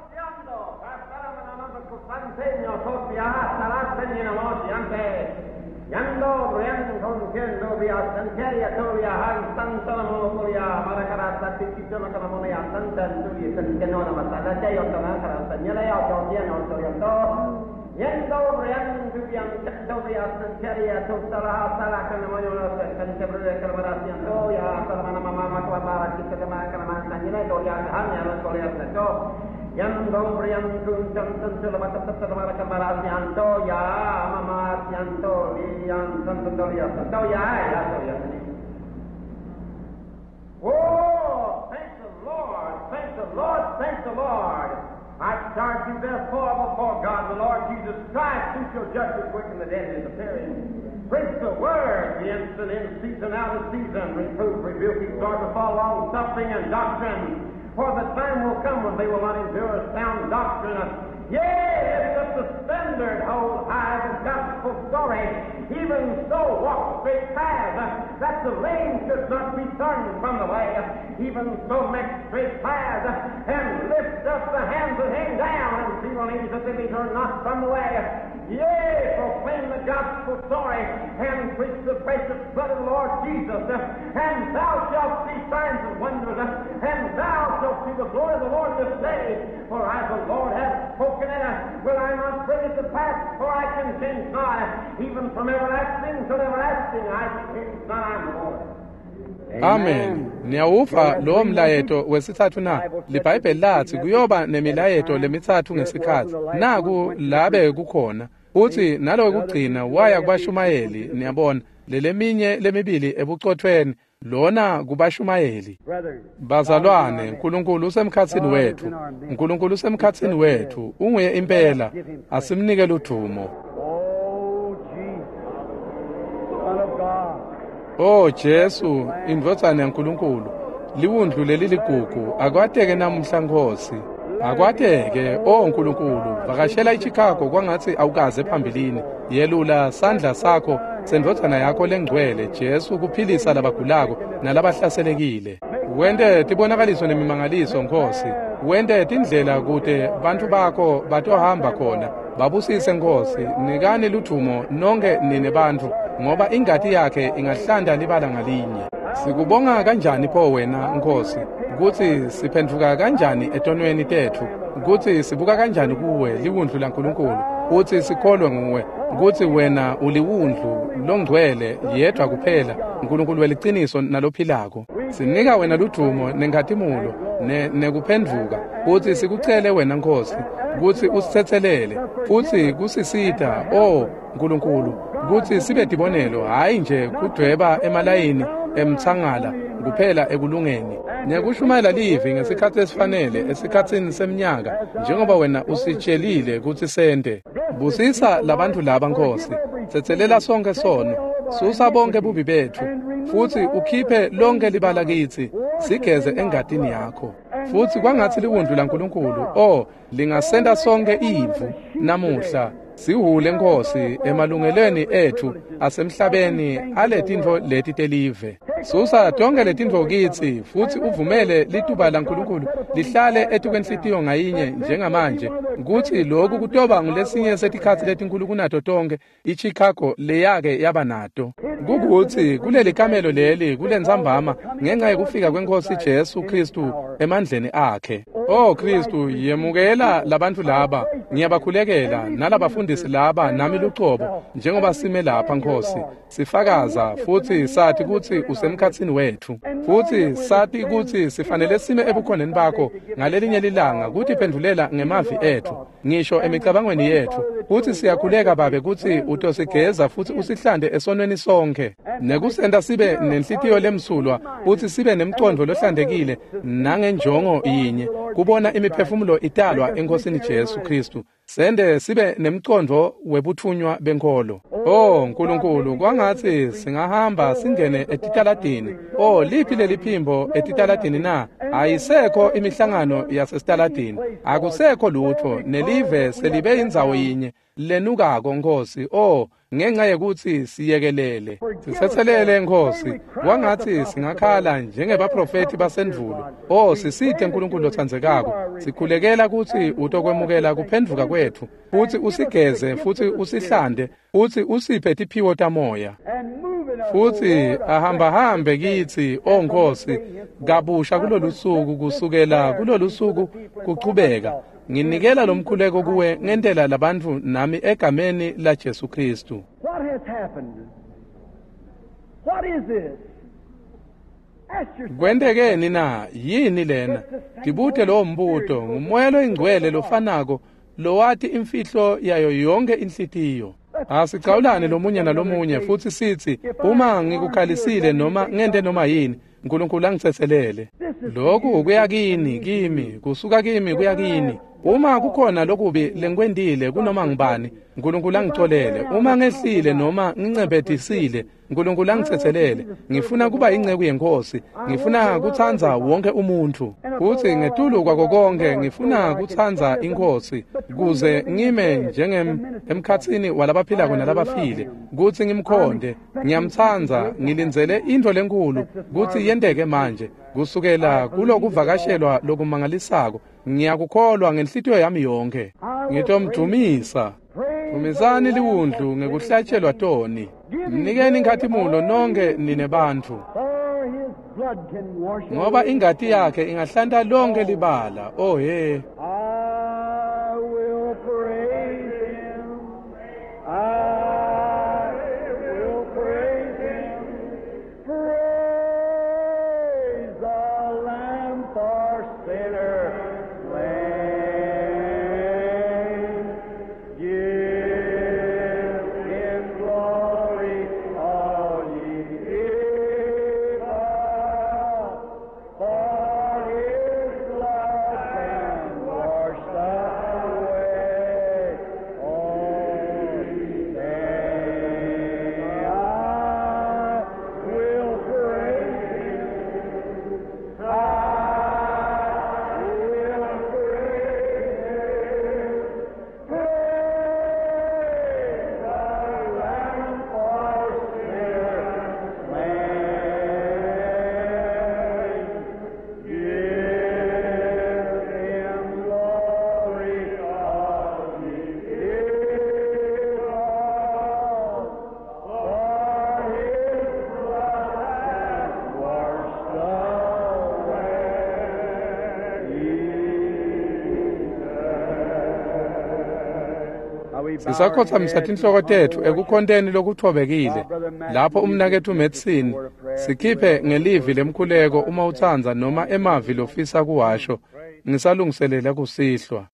Oh, thank the Lord, thank the Lord, thank the Lord. I charge you therefore before God, the Lord Jesus Christ, who shall judge the quick and the dead in his appearing. Preach the word, the instant in season, out of season, reprove, rebuke, exhort with all long suffering and doctrine. For the time will come when they will not endure sound doctrine. Yea, lift up the standard, hold high the gospel story. Even so, walk straight paths, that the lame should not be turned from the way. Even so, make straight paths, and lift up the hands that hang down, and see on knees that they be turned not from the way. Yea, proclaim the gospel story and preach the precious blood of the Lord Jesus, and thou shalt see signs and wonders, and thou shalt see the glory of the Lord this day. For as the Lord hath spoken it, will I not bring it to pass? For I can change not, even from everlasting to everlasting. I change not, I am the Lord. Amen. Niyawuva lowo mlayeto wesitsatfu na? LiBhayibheli latsi kuyoba nemilayeto lemitsatfu ngesikhatsi. Naku labe kukhona. Utsi nalokugcina waya kubashumayeli, niyabona, leleminye lemibili ebucotfweni, lona kubashumayeli. Bazalwane, uNkulunkulu usemkhatsini wetfu. uNkulunkulu usemkhatsini wetfu. Unguye impela. Asimnike ludvumo. Oh, Jesus, Son of God. O Jesu, indvodzana yaNkulunkulu, liwundlu leliligugu, akwateke namuhla Nkosi. Akwateke, o Nkulunkulu, vakashela iChicago kwangatsi awukaze phambilini. Yelula sandla sakho sendvodzana yakho lengcwele, Jesu, kuphilisa labagulako nalabahlaselekile. Wente tibonakaliso nemimangaliso, Nkosi. Wente tindlela kute bantfu bakho batohamba khona. Babusise Nkosi, nikani ludvumo nonke nine bantfu, ngoba ingati yakhe ingahlanta libala ngalinye. Sikubonga kanjani pho wena Nkosi, kutsi siphendvuka kanjani etonweni tetfu, kutsi sibuka kanjani kuwe liwundlu laNkulunkulu, kutsi sikholwe nguwe, kutsi wena uliwundlu longcwele yedvwa kuphela, Nkulunkulu weliciniso nalophilako. Sinika wena ludvumo nenkhatimulo nekuphendvuka, kutsi sikucele wena Nkosi, kutsi usitsetselele, futsi kusisita, o Nkulunkulu, kutsi sibe tibonelo, hhayi nje kudvweba emalayini emtsangala kuphela ekulungeni, nekushumayela livi ngesikhatsi esifanele esikhatsini semnyaka, njengoba wena usitshelile kutsi sente. Busisa labantfu laba Nkosi, tsetselela sonke sono, susa bonke bubi betfu, futsi ukhiphe lonke libala kitsi, sigeze engatini yakho. Futsi kwangatsi liwundlu laNkulunkulu, o lingasenta sonke ivu namuhla, sihule Nkosi emalungelweni etfu asemhlabeni aletintfo leti telive. Susa tonke letintfo kitsi, futsi uvumele lituba laNkulunkulu lihlale etukwenhlitiyo ngayinye njengamanje, kutsi lokhu kutoba ngulesinye setikhatsi letinkulu kunato tonke iChicago leyake yaba nato. Kukutsi kuleli kamelo leli kulentsambama ngenxa yekufika kweNkosi Jesu Kristu emandleni akhe. O Kristu, yemukela labantfu laba, ngiyabakhulekela nalabafundisi laba nami lucobo, njengoba sime lapha Nkosi, sifakaza futsi sathi kutsi usemkhatsini wetfu, futsi sathi kutsi sifanele sime ebukhoneni bakho ngalelinye lilanga kutiphendvulela ngemavi etfu, ngisho emicabangweni yetfu. Futsi siyakhuleka Babe kutsi utosigeza futsi usihlante esonweni sonke, nekusenta sibe nenhlitiyo lemsulwa, futsi sibe nemcondvo lohlantekile nangenjongo yinye, kubona imiphefumulo italwa eNkosini Jesu Kristu. Sende sibe nemcondvo webutfunywa benkholo. O Nkulunkulu, kwangatsi singahamba singene etitaladini. O liphi leliphimbo etitaladini na? Ayisekho imihlangano yasesitaladini, akusekho lutfo, nelive selibe indzawo yinye lenukako Nkosi. O ngenxa yekutsi siyekelele, sitsetselele Nkosi, kwangatsi singakhala njengebaprofethi basendvulo. O sisite Nkulunkulu lotsandzekako, sikhulekela kutsi utokwemukela kuphendvuka kwetfu, futsi usigeze futsi usihlante, futsi usiphe tiphiwo tamoya, futsi ahambahambe kitsi, o Nkosi, kabusha kulolusuku, kusukela kulolusuku kuchubeka. Nginikela lomkhuleko kuwe ngentela labantfu nami egameni la Jesu Kristu. What has happened? What is this? Ask yourself. Kwentekeni na? Yini lena? Tibute lowo mbuto. Ngumoya loyingcwele lofanako lowati imfihlo yayo yonke inhlitiyo. Asicawulane lomunye nalomunye futsi sitsi, uma ngikukhalisile noma ngente noma yini, Nkulunkulu angitsetselele. Lokhu kuya kini, kimi, kusuka kimi kuya kini. Uma kukhona lokubi lengikwentile kunoma ngubani, Nkulunkulu angicolele. Uma ngehlile noma ngincebhetisile, Nkulunkulu angitsetselele. Ngifuna kuba inceku yeNkosi, ngifuna kutsandza wonke umuntfu, futsi ngetulu kwako konke ngifuna kutsandza iNkosi, kuze ngime njenge emkhatsini walabaphilako nalabafile, kutsi ngimkhonde. Ngiyamtsandza, ngilindzele intfo lenkulu kutsi yenteke manje, kusukela kulokuvakashelwa lokumangalisako. Ngiyakukholwa ngenhlitiyo yami yonke. Ngitomdumisa. Dvumisani liwundlu ngekuhlatshelwa toni. Mnikeni inkhatimulo nonke nine bantfu. For his blood can wash Ngoba away ingati yakhe ingahlanta lonke libala. Oh he. I will praise him. I will praise him. Praise the Lamb for sinner slain. Give him glory, all ye people. For his blood can wash away all sin. I will praise him. I will praise him. Praise the Lamb for sinners slain. Give him glory, all ye people, for his blood hath washed away. Sisakhothamisa tinhloko tetfu ekukhonteni lokutfobekile lapho umnaketfu Madison sikhiphe ngelivi lemkhuleko uma utsandza noma emavi lofisa kuwasho ngisalungiselela kusihlwa.